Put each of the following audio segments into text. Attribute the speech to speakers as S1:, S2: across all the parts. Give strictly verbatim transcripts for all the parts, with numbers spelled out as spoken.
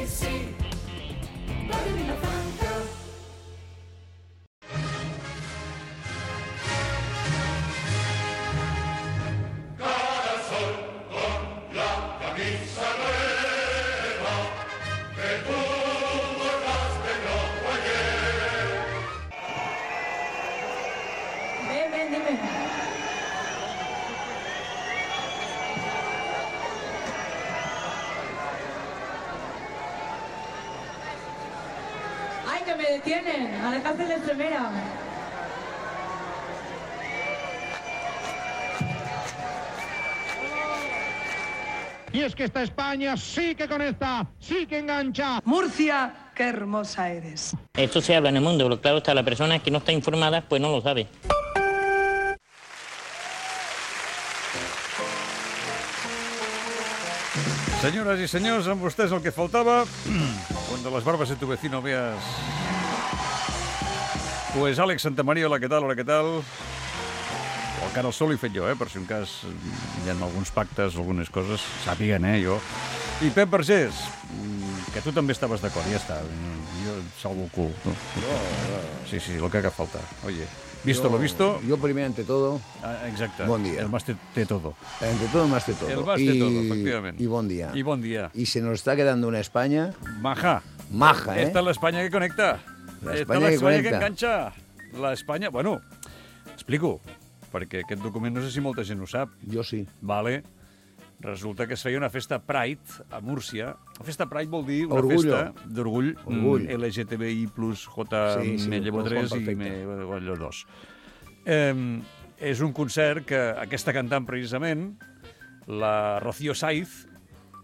S1: sí, Radio Vilafranca.
S2: Cara al sol con la camisa nueva que tú borraste rojo ayer.
S3: Ven, ven, dime. ¡Ay, que me detienen! ¡A la cárcel extremera!
S4: Y es que esta España sí que conecta, sí que engancha.
S5: Murcia, qué hermosa eres.
S6: Esto se habla en el mundo, pero claro está, la persona que no está informada pues no lo sabe.
S7: Senyores i senyors, amb vostès el que faltava, cuando las barbas de tu vecino veas... Pues Àlex Santamaría, hola, què tal, hola, què tal? El cara al sol l'he fet jo, eh, per si un cas hi ha alguns pactes, algunes coses, sàpiguen, eh, jo. I Pep Vergés, que tu també estaves d'acord, ja està, jo salvo el cul. No? Sí, sí, el que haga falta, oye. Visto
S8: yo,
S7: lo visto.
S8: Yo primero, ante todo,
S7: ah, exacte.
S8: Bon dia.
S7: El más te, te todo.
S8: Ante todo, más de todo.
S7: El más
S8: y,
S7: de todo, efectivamente.
S8: Y buen día.
S7: Y buen día.
S8: Y se nos está quedando una España...
S7: Maja.
S8: Maja, ¿eh?
S7: Esta es la España que conecta.
S8: La
S7: Esta
S8: España,
S7: és la
S8: que,
S7: España
S8: conecta.
S7: que enganxa. La Espanya... Bueno, explico, perquè aquest document no sé si molta gent ho sap.
S8: Jo sí.
S7: Vale. Resulta que es feia una festa Pride a Múrcia. La festa Pride vol dir una
S8: Orgullo.
S7: festa d'orgull
S8: Orgull.
S7: L G T B I plus J,
S8: Sí, sí,
S7: me llevo
S8: el
S7: tres
S8: Juan
S7: i
S8: perfecte.
S7: me llevo dos. Eh, és un concert que aquesta cantant precisament, la Rocío Saiz,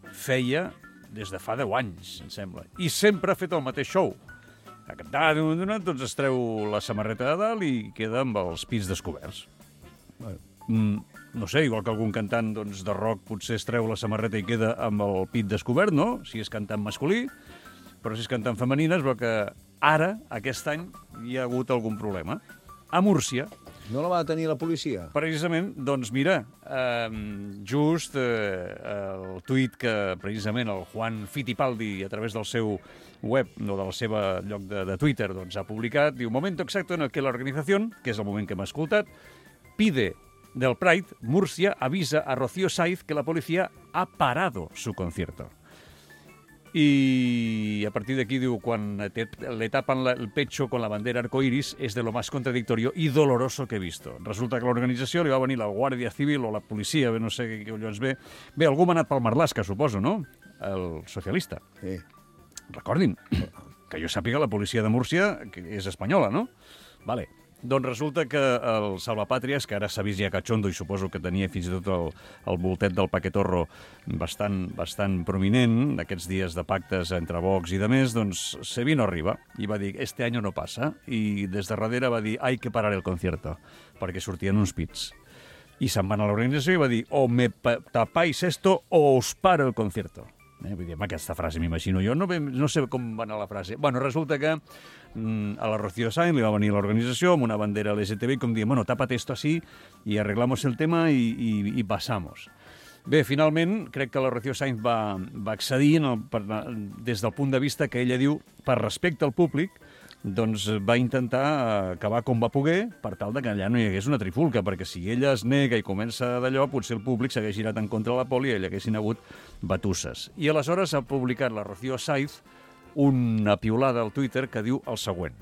S7: feia des de fa deu anys, em sembla. I sempre ha fet el mateix show. A cantar, doncs es treu la samarreta de dalt i queda amb els pits descoberts.
S8: Bueno.
S7: Mm, no sé, igual que algun cantant doncs, de rock potser es treu la samarreta i queda amb el pit descobert, no? Si és cantant masculí, però si és cantant femenina es veu que ara, aquest any, hi ha hagut algun problema. A Múrcia,
S8: No la va tenir la policia?
S7: precisament, doncs mira, eh, just eh, el tuit que precisament el Juan Fittipaldi, a través del seu web, no del seu lloc de, de Twitter, doncs ha publicat, diu, momento exacto en el que la organización, que és el moment que hem escoltat, pide del Pride, Murcia avisa a Rocío Saiz que la policía ha parado su concierto. Y a partir de aquí diu, quan te, le tapan la, el pecho con la bandera arcoiris es de lo más contradictorio y doloroso que he visto. Resulta que a l'organització li va venir la Guàrdia Civil o la policia, bé, no sé què collons ve. Bé, algú m'ha anat pel Marlaska, suposo, no? El socialista.
S8: Sí.
S7: Recordin, que jo sàpiga la policia de Múrcia que és espanyola, no? Vale. Doncs resulta que el Salvapàtries, que ara s'ha vist ja cachondo i suposo que tenia fins i tot el, el voltet del paquetorro bastant, bastant prominent, d'aquests dies de pactes entre Vox i de més, doncs se vino arriba i va dir, este año no pasa, i des de darrere va dir, hay que parar el concierto, perquè sortien uns pits. I se'n van a l'organització i va dir, o me tapáis esto o os paro el concierto. Eh, vull dir, amb aquesta frase m'imagino jo, no, no sé com va anar la frase. Bueno, resulta que mm, a la Rocío Sáenz li va venir l'organització amb una bandera L G T B i com dient, bueno, tápate esto así y arreglamos el tema y, y, y pasamos. Bé, finalment, crec que la Rocío Sáenz va, va accedir en el, per, des del punt de vista que ella diu, per respecte al públic, doncs va intentar acabar com va poder per tal de que allà no hi hagués una trifulca, perquè si ella es nega i comença d'allò, potser el públic s'hagués girat en contra de la poli i hi haguessin hagut batusses. I aleshores ha publicat la Rocío Saiz una piulada al Twitter que diu el següent.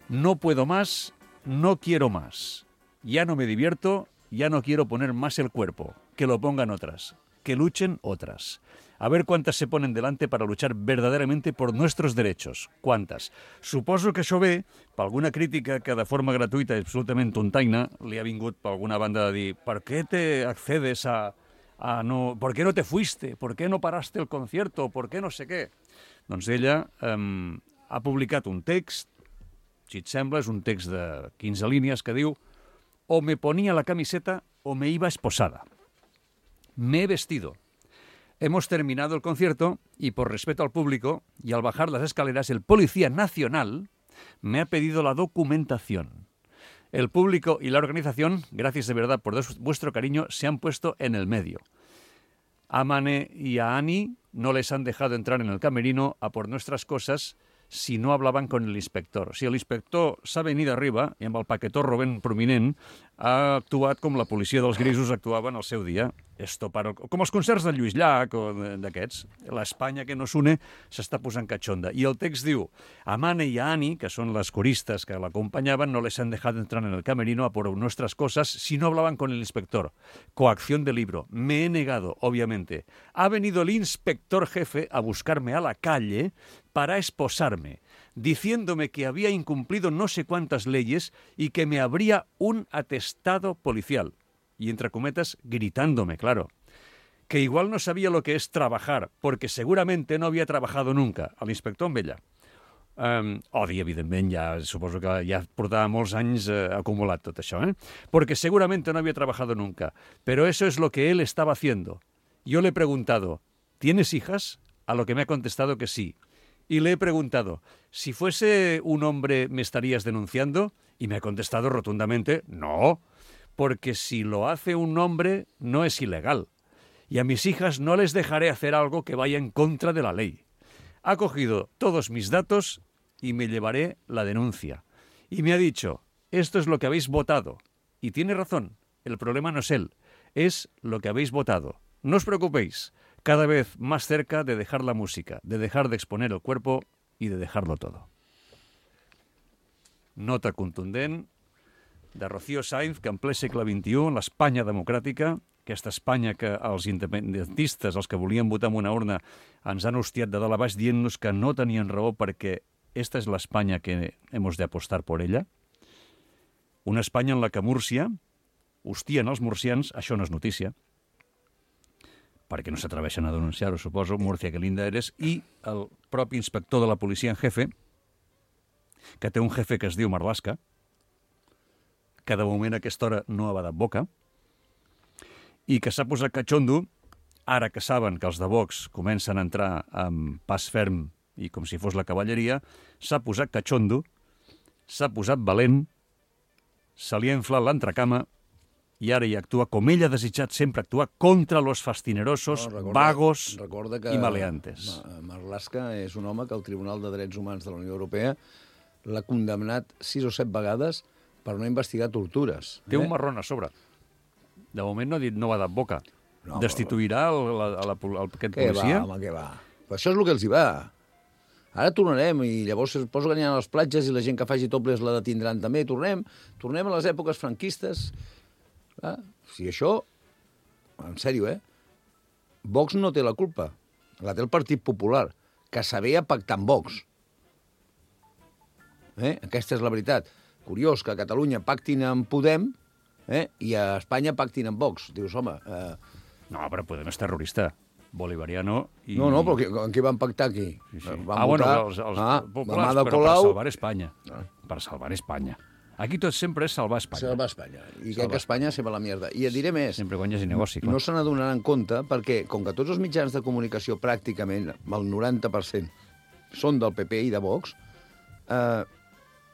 S7: No puedo más, no quiero más. Ya no me divierto, ya no quiero poner más el cuerpo. Que lo pongan otras. Que luchen otras. A ver cuántas se ponen delante para luchar verdaderamente por nuestros derechos. ¿Cuántas? Suposo que això ve per alguna crítica que de forma gratuïta i absolutament tontaina li ha vingut per alguna banda de dir ¿por qué te accedes a, a no... ¿por qué no te fuiste? ¿Por qué no paraste el concierto? ¿Por qué no sé què? Doncs ella eh, ha publicat un text, si et sembla, és un text de quinze línies que diu o me ponía la camiseta o me iba esposada. Me he vestido. Hemos terminado el concierto y por respeto al público y al bajar las escaleras el Policía Nacional me ha pedido la documentación. El público y la organización, gracias de verdad por vuestro cariño, se han puesto en el medio. A Mane y a Ani no les han dejado entrar en el camerino a por nuestras cosas si no hablaban con el inspector. Si l'inspector s'ha venit arriba i amb el paquetorro ben prominent ha actuat com la policia dels grisos actuava en el seu dia. Esto para... Com els concerts de Lluís Llach o d'aquests. L'Espanya que nos une s'està posant cachonda. I el text diu: a Mane y a Ani, que són les coristas que l'acompañaban, no les han dejado entrar en el camerino a por nuestras cosas si no hablaban con el inspector. Coacción de libro. Me he negado, obviamente. Ha venido el inspector jefe a buscarme a la calle para esposarme, diciéndome que había incumplido no sé cuántas leyes y que me habría un atestado policial. Y entre cometas, gritándome, claro, que igual no sabía lo que es trabajar, porque seguramente no había trabajado nunca. El inspector amb ella. Um, odi, evidentment, ja suposo que ja portava molts anys eh, acumulat tot això, ¿eh? Porque seguramente no había trabajado nunca, pero eso es lo que él estaba haciendo. Yo le he preguntado, ¿tienes hijas? A lo que me ha contestado que sí. Y le he preguntado, si fuese un hombre, ¿me estarías denunciando? Y me ha contestado rotundamente, no, porque si lo hace un hombre, no es ilegal. Y a mis hijas no les dejaré hacer algo que vaya en contra de la ley. Ha cogido todos mis datos y me llevaré la denuncia. Y me ha dicho, esto es lo que habéis votado. Y tiene razón, el problema no es él, es lo que habéis votado. No os preocupéis, cada vez más cerca de dejar la música, de dejar de exponer el cuerpo y de dejarlo todo. Nota contundent de Rocío Sainz, que en ple segle vint-i-u, en l'Espanya democràtica, aquesta Espanya que els independentistes, els que volien votar en una urna, ens han hostiat de dalt a baix dient-nos que no tenien raó perquè esta és l'Espanya que hemos de apostar por ella. Una Espanya en la que Múrcia hostien els murcians, això no és notícia, perquè no s'atreveixen a denunciar-ho, suposo, Murcia, que linda eres, i el propi inspector de la policia en jefe, que té un jefe que es diu Marlaska, que de moment a aquesta hora no ha badat boca, i que s'ha posat catxondo, ara que saben que els de Vox comencen a entrar amb pas ferm i com si fos la cavalleria, s'ha posat catxondo, s'ha posat valent, se li ha inflat l'entrecama i ara hi actua com ell ha desitjat sempre actuar contra los fastinerosos,
S8: no, recorda,
S7: vagos
S8: recorda que
S7: i maleantes.
S8: Marlaska és un home que el Tribunal de Drets Humans de la Unió Europea l'ha condemnat sis o set vegades per no investigar tortures.
S7: Té
S8: eh?
S7: un marrón a sobre. De moment no ha dit no va de boca.
S8: No,
S7: Destituirà el, la, la, el, aquest
S8: què
S7: policia?
S8: va, home, què va? Però això és el que els hi va. Ara tornarem i llavors suposo que aniran a les platges i la gent que faci topless la detindran també. Tornem, tornem a les èpoques franquistes. Ah, si això, en sèrio, eh? Vox no té la culpa. La té el Partit Popular, que sabia pactar amb Vox. Eh? Aquesta és la veritat. Curiós que a Catalunya pactin amb Podem eh? i a Espanya pactin amb Vox. Dius, home... Eh...
S7: No, però Podem és terrorista. Bolivariano i...
S8: No, no, però qui, en què van pactar aquí?
S7: Sí, sí.
S8: Van
S7: ah,
S8: votar...
S7: bueno, els, els
S8: ah,
S7: populars, però
S8: Colau...
S7: per salvar Espanya. Ah. Per salvar Espanya. Aquí tot sempre és salvar Espanya.
S8: Salvar Espanya. I crec que Espanya se va a la mierda. I et diré més.
S7: Sempre quan hi hagi negoci, clar.
S8: No se n'adonaran compte perquè, com que tots els mitjans de comunicació pràcticament, el noranta per cent, són del P P i de Vox, eh,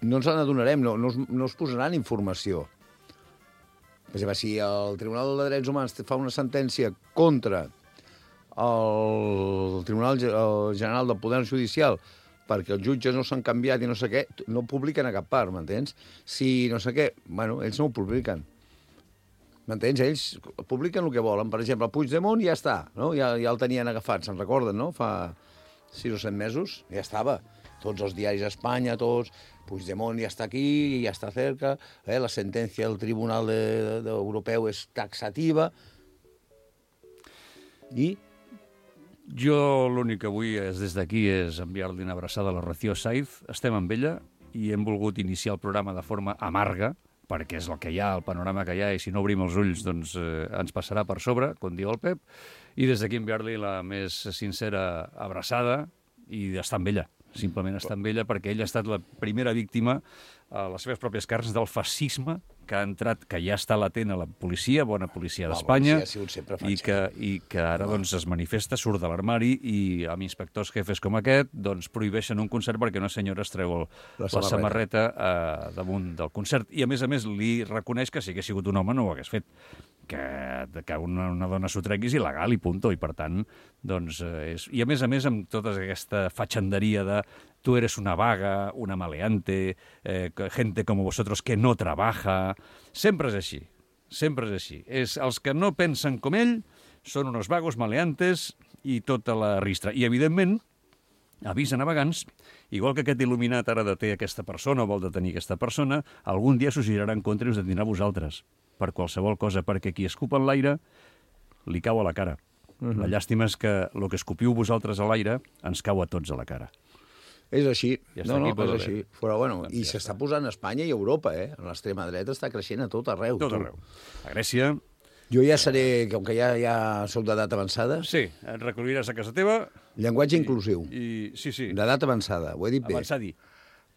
S8: no ens n'adonarem, no, no, es, no es posaran informació. Per exemple, si el Tribunal de Drets Humans fa una sentència contra el Tribunal General del Poder Judicial perquè els jutges no s'han canviat i no sé què, no publiquen a cap part, m'entens? Si no sé què, bueno, ells no ho publiquen. M'entens? Ells publiquen el que volen. Per exemple, el Puigdemont ja està, no? Ja, ja el tenien agafat, se'n recorden, no? Fa sis o set mesos, ja estava. Tots els diaris a Espanya, tots... Puigdemont ja està aquí, ja està cerca, eh? La sentència del Tribunal de, de, de Europeu és taxativa. I...
S7: Jo l'únic que vull és, des d'aquí és enviar-li una abraçada a la Rocío Sainz. Estem amb ella i hem volgut iniciar el programa de forma amarga, perquè és el que hi ha, el panorama que hi ha, i si no obrim els ulls doncs eh, ens passarà per sobre, com diu el Pep, i des d'aquí enviar-li la més sincera abraçada i estar amb ella. Simplement estar amb ella perquè ella ha estat la primera víctima a les seves pròpies carns del feixisme que ha entrat, que ja està latent a la policia, bona policia d'Espanya, i, que, i que ara doncs, es manifesta, surt de l'armari i amb inspectors jefes com aquest doncs, prohibeixen un concert perquè una senyora es treu el, la samarreta, la samarreta eh, damunt del concert. I a més a més li reconeix que si hagués sigut un home no ho hagués fet. que, que una, una dona s'ho tregui és il·legal i punto, i per tant, doncs, eh, és... I a més a més, amb tota aquesta fatxanderia de tu eres una vaga, una maleante, eh, gente como vosotros que no trabaja... Sempre és així, sempre és així. És, els que no pensen com ell són unos vagos, maleantes i tota la ristra. I, evidentment, avís a navegants, igual que aquest il·luminat ara deté aquesta persona o vol detenir aquesta persona, algun dia s'ho girarà en contra i us detindrà a vosaltres, per qualsevol cosa, perquè qui escupa en l'aire li cau a la cara. Uh-huh. La llàstima és que el que escopiu vosaltres a l'aire ens cau a tots a la cara.
S8: És així.
S7: Ja
S8: no, no,
S7: aquí,
S8: és així. Però, bueno,
S7: doncs
S8: i
S7: ja
S8: s'està posant a Espanya i a Europa, eh? L'extrema dreta està creixent a tot arreu.
S7: Tot arreu. A Grècia...
S8: Jo ja seré, com que ja, ja soc d'edat avançada...
S7: Sí, et recolliràs a casa teva...
S8: Llenguatge
S7: i,
S8: inclusiu.
S7: I, sí, sí.
S8: D'edat avançada, ho he dit bé.
S7: Avançadi.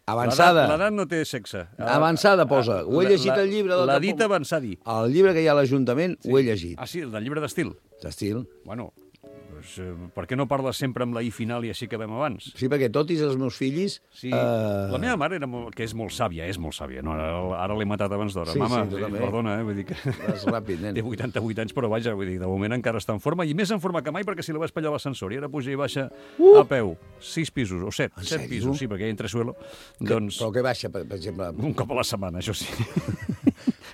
S8: Avançada.
S7: L'edat no té sexe.
S8: Avançada posa. Ho he llegit al llibre...
S7: L'ha dit avançadi.
S8: El llibre que hi ha a l'Ajuntament
S7: Sí.
S8: ho he llegit.
S7: Ah, sí, el del llibre d'estil.
S8: D'estil.
S7: Bueno, doncs, eh, per què no parles sempre amb la i final i així que vam abans?
S8: Sí, perquè tot i els meus fills...
S7: Sí,
S8: eh,
S7: la meva mare, era molt, que és molt sàvia, és molt sàvia. No? Ara, ara l'he matat abans d'hora.
S8: Sí,
S7: Mama,
S8: sí, tu
S7: eh,
S8: també.
S7: perdona, eh? Vull dir que...
S8: Vas ràpid, nen.
S7: Té vuitanta-vuit anys, però vaja, vull dir, de moment encara està en forma, i més en forma que mai perquè si la vaig pallar a l'ascensor i ara puja i baixa
S8: Uh!
S7: a peu. Sis pisos, o set,
S8: En
S7: set
S8: sèrio?
S7: pisos, sí, perquè hi ha entresuelo.
S8: Que,
S7: Doncs,
S8: Però què baixa, per, per exemple?
S7: un cop a la setmana, això sí.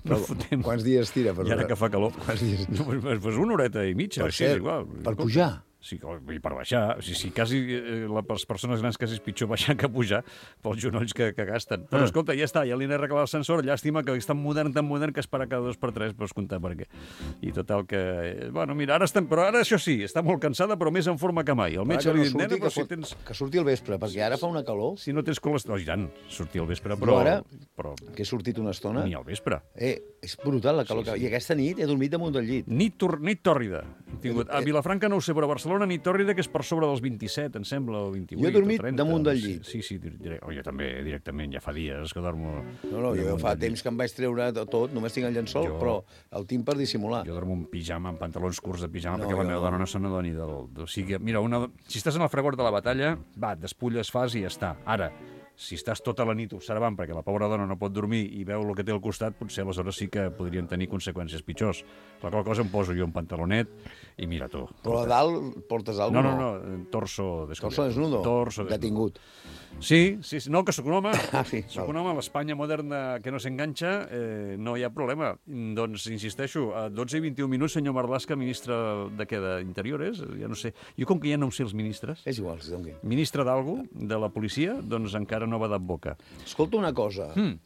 S8: Però,
S7: no fotem.
S8: quants dies tira? Per
S7: I ara que fa calor.
S8: Quants dies?
S7: No, pues, pues una horeta i mitja,
S8: Per
S7: així,
S8: cert,
S7: és igual.
S8: per pujar?
S7: Sí, i per baixar. Sí, sí, quasi, eh, les persones grans quasi és pitjor baixar que pujar pels genolls que, que gasten. Però,
S8: Ah.
S7: escolta, ja està, ja li n'he arreglat l'ascensor. Llàstima que és tan modern, tan modern, que es para cada dos per tres, pots comptar per què. I total que... eh, Bueno, mira, ara estem... Però ara, això sí, està molt cansada, però més en forma que mai. El metge
S8: que
S7: li
S8: no
S7: ha dit,
S8: surti,
S7: nena,
S8: que,
S7: però si
S8: fot-
S7: tens...
S8: que surti al vespre, perquè ara fa una calor
S7: Si no tens colesterol... Oh, i tant, sortir al vespre, però...
S8: Jo ara-
S7: però
S8: que he sortit una estona.
S7: ni al vespre.
S8: Eh, és brutal la calor.
S7: Sí,
S8: Sí,
S7: sí.
S8: sí. I aquesta nit he dormit damunt del llit.
S7: Nit, tor nit tòrrida. Hem tingut. A
S8: Eh,
S7: Vilafranca no ho sé, però a Barcelona nit tòrrida, que és per sobre dels vint-i-set, em sembla, o vint-i-vuit,
S8: Jo he dormit
S7: o trenta.
S8: damunt del
S7: Sí,
S8: llit.
S7: Sí, sí, dire... oh, jo també, directament, ja fa dies que dormo...
S8: No, no, jo
S7: damunt
S8: fa
S7: del llit.
S8: temps que em vaig treure de tot, només tinc el llençol,
S7: Jo-
S8: però el tinc per dissimular.
S7: Jo dormo en pijama, en pantalons curts de pijama,
S8: No,
S7: perquè la
S8: jo
S7: meva
S8: no.
S7: dona no se n'adoni del... O sigui, mira, una... si estàs en el fragor de la batalla, va, et despulles, fas i ja està. Ara, si estàs tota la nit observant perquè la pobra dona no pot dormir i veu el que té al costat, potser aleshores sí que podrien tenir conseqüències pitjors. La qual cosa em poso jo un pantalonet i mira tu.
S8: Però a dalt portes
S7: No,
S8: alguna
S7: no, no, torso descobert.
S8: Torso desnudo?
S7: Torso desnudo.
S8: Detingut.
S7: Sí, sí, sí, no, que sóc un home.
S8: Ah, sí,
S7: Sóc
S8: val.
S7: un home a l'Espanya moderna que no s'enganxa, eh, no hi ha problema. Doncs, insisteixo, a dotze i vint-i-un minuts, senyor Marlaska, ministre de què, d'Interiores? Ja no sé. Jo, com que ja no ho sé els ministres,
S8: És igual, si doni.
S7: ministre d'algú, de la policia, doncs encara no va dat boca.
S8: Escolta una cosa.
S7: Mm.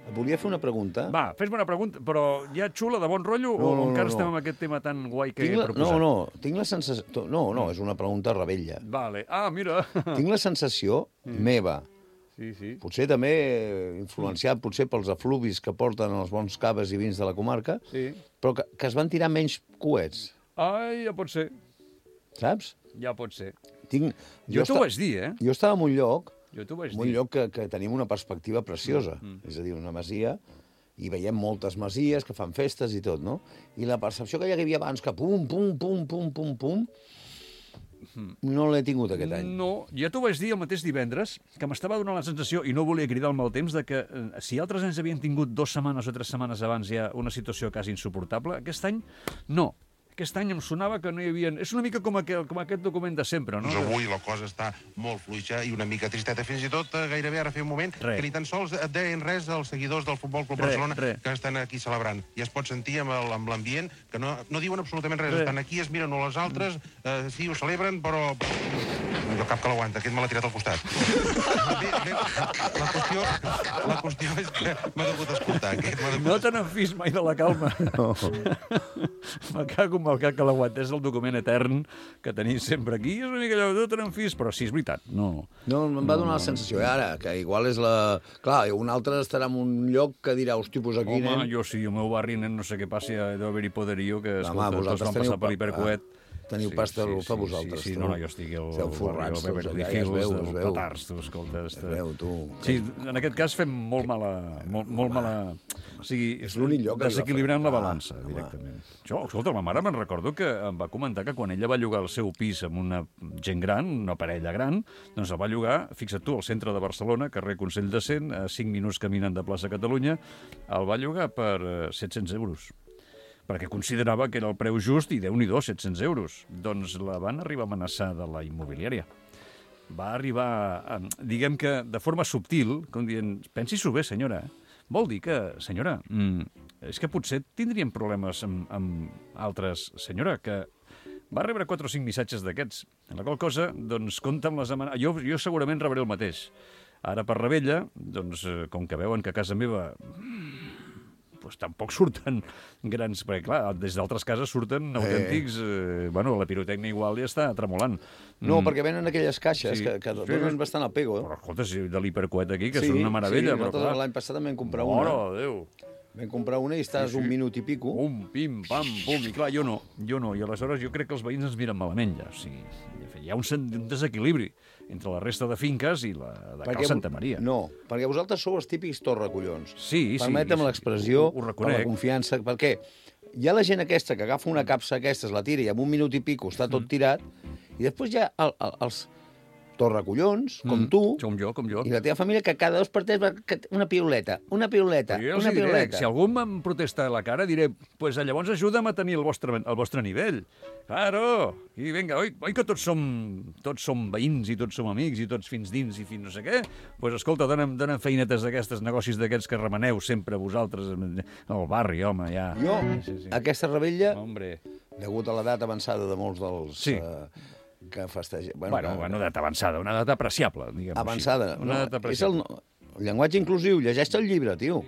S8: Et volia fer una pregunta.
S7: Va, fes-me una pregunta, però ja xula, de bon rotllo,
S8: No,
S7: o
S8: no,
S7: encara
S8: no,
S7: estem
S8: no.
S7: amb aquest tema tan guai que
S8: Tinc
S7: he
S8: la...
S7: proposat?
S8: No, no, tinc la sensació... No, no, és una pregunta rebella.
S7: Vale. Ah, mira.
S8: Tinc la sensació meva,
S7: Sí, sí.
S8: potser també influenciat potser pels efluvis que porten els bons caves i vins de la comarca,
S7: Sí.
S8: però que, que es van tirar menys coets,
S7: Ai, ja pot ser.
S8: saps?
S7: Ja pot ser.
S8: Tinc...
S7: Jo t'ho
S8: esta-
S7: vaig dir, eh?
S8: Jo estava en un lloc,
S7: Jo t'ho vaig
S8: en un
S7: dir.
S8: lloc que, que tenim una perspectiva preciosa, mm, mm. és a dir, una masia, i veiem moltes masies que fan festes i tot, no? I la percepció que hi havia abans, que pum, pum, pum, pum, pum, pum, no l'he tingut aquest any.
S7: No, jo t'ho vaig dir el mateix divendres, que m'estava donant la sensació, i no volia cridar el mal temps, de que eh, si altres anys havien tingut dues setmanes o tres setmanes abans ja una situació quasi insuportable, aquest any no. Aquest any em sonava que no hi havia... És una mica com, aquel, com aquest document de sempre, no?
S9: Doncs avui la cosa està molt fluixa i una mica tristeta. Fins i tot, eh, gairebé ara feia un moment,
S7: Re.
S9: que ni tan sols et deien res als seguidors del Futbol Club
S7: Re,
S9: Barcelona
S7: re.
S9: que estan aquí celebrant. I es pot sentir amb el- amb l'ambient que no, no diuen absolutament res.
S7: Re.
S9: Estan aquí, es miren a les altres, eh, sí, ho celebren, però... Jo cap que l'aguanta, aquest me l'ha tirat al costat. Bé, bé, la, qüestió, la qüestió és que m'ha degut escoltar. Aquest m'ha degut
S7: No te n'enfis mai de la calma. No. Me cago amb el cac que l'aguanta. És el document etern que tenim sempre aquí. És una mica allò, no te n'enfis, però sí, és veritat. No.
S8: No, em va donar la sensació, eh, ara, que igual és la... Clar, un altre estarà en un lloc que dirà, hosti, pues aquí,
S7: Home,
S8: nen...
S7: jo sí, el meu barri, nen, no sé què passi, deu haver-hi poderío, que, escolta, tots
S8: vosaltres
S7: van
S8: teniu
S7: passar per
S8: pa-
S7: l'hipercoet.
S8: Teniu pasta al per vosaltres,
S7: Sí, sí,
S8: tu.
S7: no, no, jo estic al
S8: Esteu
S7: barri
S8: forrats
S7: del
S8: tots
S7: Beverly
S8: allà, ja es
S7: Hills,
S8: veu,
S7: dels
S8: es veu.
S7: petards, tu, escolta.
S8: Es veu, tu.
S7: Sí, en aquest cas fem molt mala... Molt, molt mala... O sigui,
S8: És l'únic lloc que
S7: desequilibrant la
S8: Vilafranca.
S7: balança,
S8: Ah, home.
S7: directament. Jo, escolta, la mare me'n recordo que em va comentar que quan ella va llogar el seu pis amb una gent gran, una parella gran, doncs el va llogar, fixa't tu, al centre de Barcelona, carrer Consell de Cent, a cinc minuts caminant de plaça Catalunya, el va llogar per eh, set-cents euros. perquè considerava que era el preu just i Déu-n'hi-do, set-cents euros. Doncs la van arribar a amenaçar de la immobiliària. Va arribar, a, diguem que de forma subtil, com dient, pensi-s'ho bé, senyora. Vol dir que, senyora, mm, és que potser tindríem problemes amb, amb altres... Senyora, que va rebre quatre o cinc missatges d'aquests. En la qual cosa, doncs, compta amb les amenaces. Jo, jo segurament rebré el mateix. Ara per Rebella, doncs, com que veuen que a casa meva doncs tampoc surten grans... Perquè, clar, des d'altres cases surten autèntics... Eh, bueno, la pirotècnia igual ja està tremolant.
S8: No,
S7: Mm.
S8: perquè venen aquelles caixes
S7: Sí.
S8: que, que
S7: Sí.
S8: donen bastant al pego.
S7: Però, escolta, si de l'hipercoet aquí, que
S8: sí,
S7: són una meravella,
S8: sí,
S7: però
S8: nosaltres
S7: clar...
S8: l'any passat també vam comprar
S7: Mare
S8: una.
S7: de Déu!
S8: Vam comprar una i estàs
S7: Sí, sí.
S8: un minut i pico.
S7: Pum, pim, pam, pum. I clar, jo no, jo no. I aleshores jo crec que els veïns ens miren malament, ja. O sigui, hi ha un, sen- un desequilibri entre la resta de finques i la de Cal Santa Maria.
S8: No, perquè vosaltres sou els típics torracollons.
S7: Sí, sí.
S8: Permetem
S7: sí,
S8: l'expressió,
S7: ho, ho
S8: per
S7: reconec.
S8: la confiança, perquè hi ha la gent aquesta que agafa una capsa aquestes, la tira i en un minut i pico està tot tirat, i després hi ha el, el, els torracollons, com
S7: Mm,
S8: tu,
S7: Com jo, com jo.
S8: i la teva família, que cada dos per tres va que- una piuleta, una piuleta,
S7: Però jo els
S8: una
S7: hi diré,
S8: piuleta.
S7: si algú em protesta a la cara, diré, pues llavors ajuda'm a tenir el vostre, el vostre nivell. Claro, i vinga, oi, oi que tots som, tots som veïns i tots som amics i tots fins dins i fins no sé què? Doncs pues, escolta, dona'm, dona'm feinetes d'aquestes, negocis d'aquests que remeneu sempre vosaltres al barri, home, ja.
S8: Jo,
S7: Sí, sí.
S8: aquesta rebella,
S7: Hombre.
S8: degut a l'edat avançada de molts dels
S7: Sí.
S8: eh, que festegen...
S7: Bueno, bueno,
S8: que-
S7: bueno, edat avançada, una edat apreciable, diguem
S8: avançada.
S7: així. Una
S8: No,
S7: edat
S8: és
S7: apreciable.
S8: el, el llenguatge inclusiu. Llegeix el llibre, tio.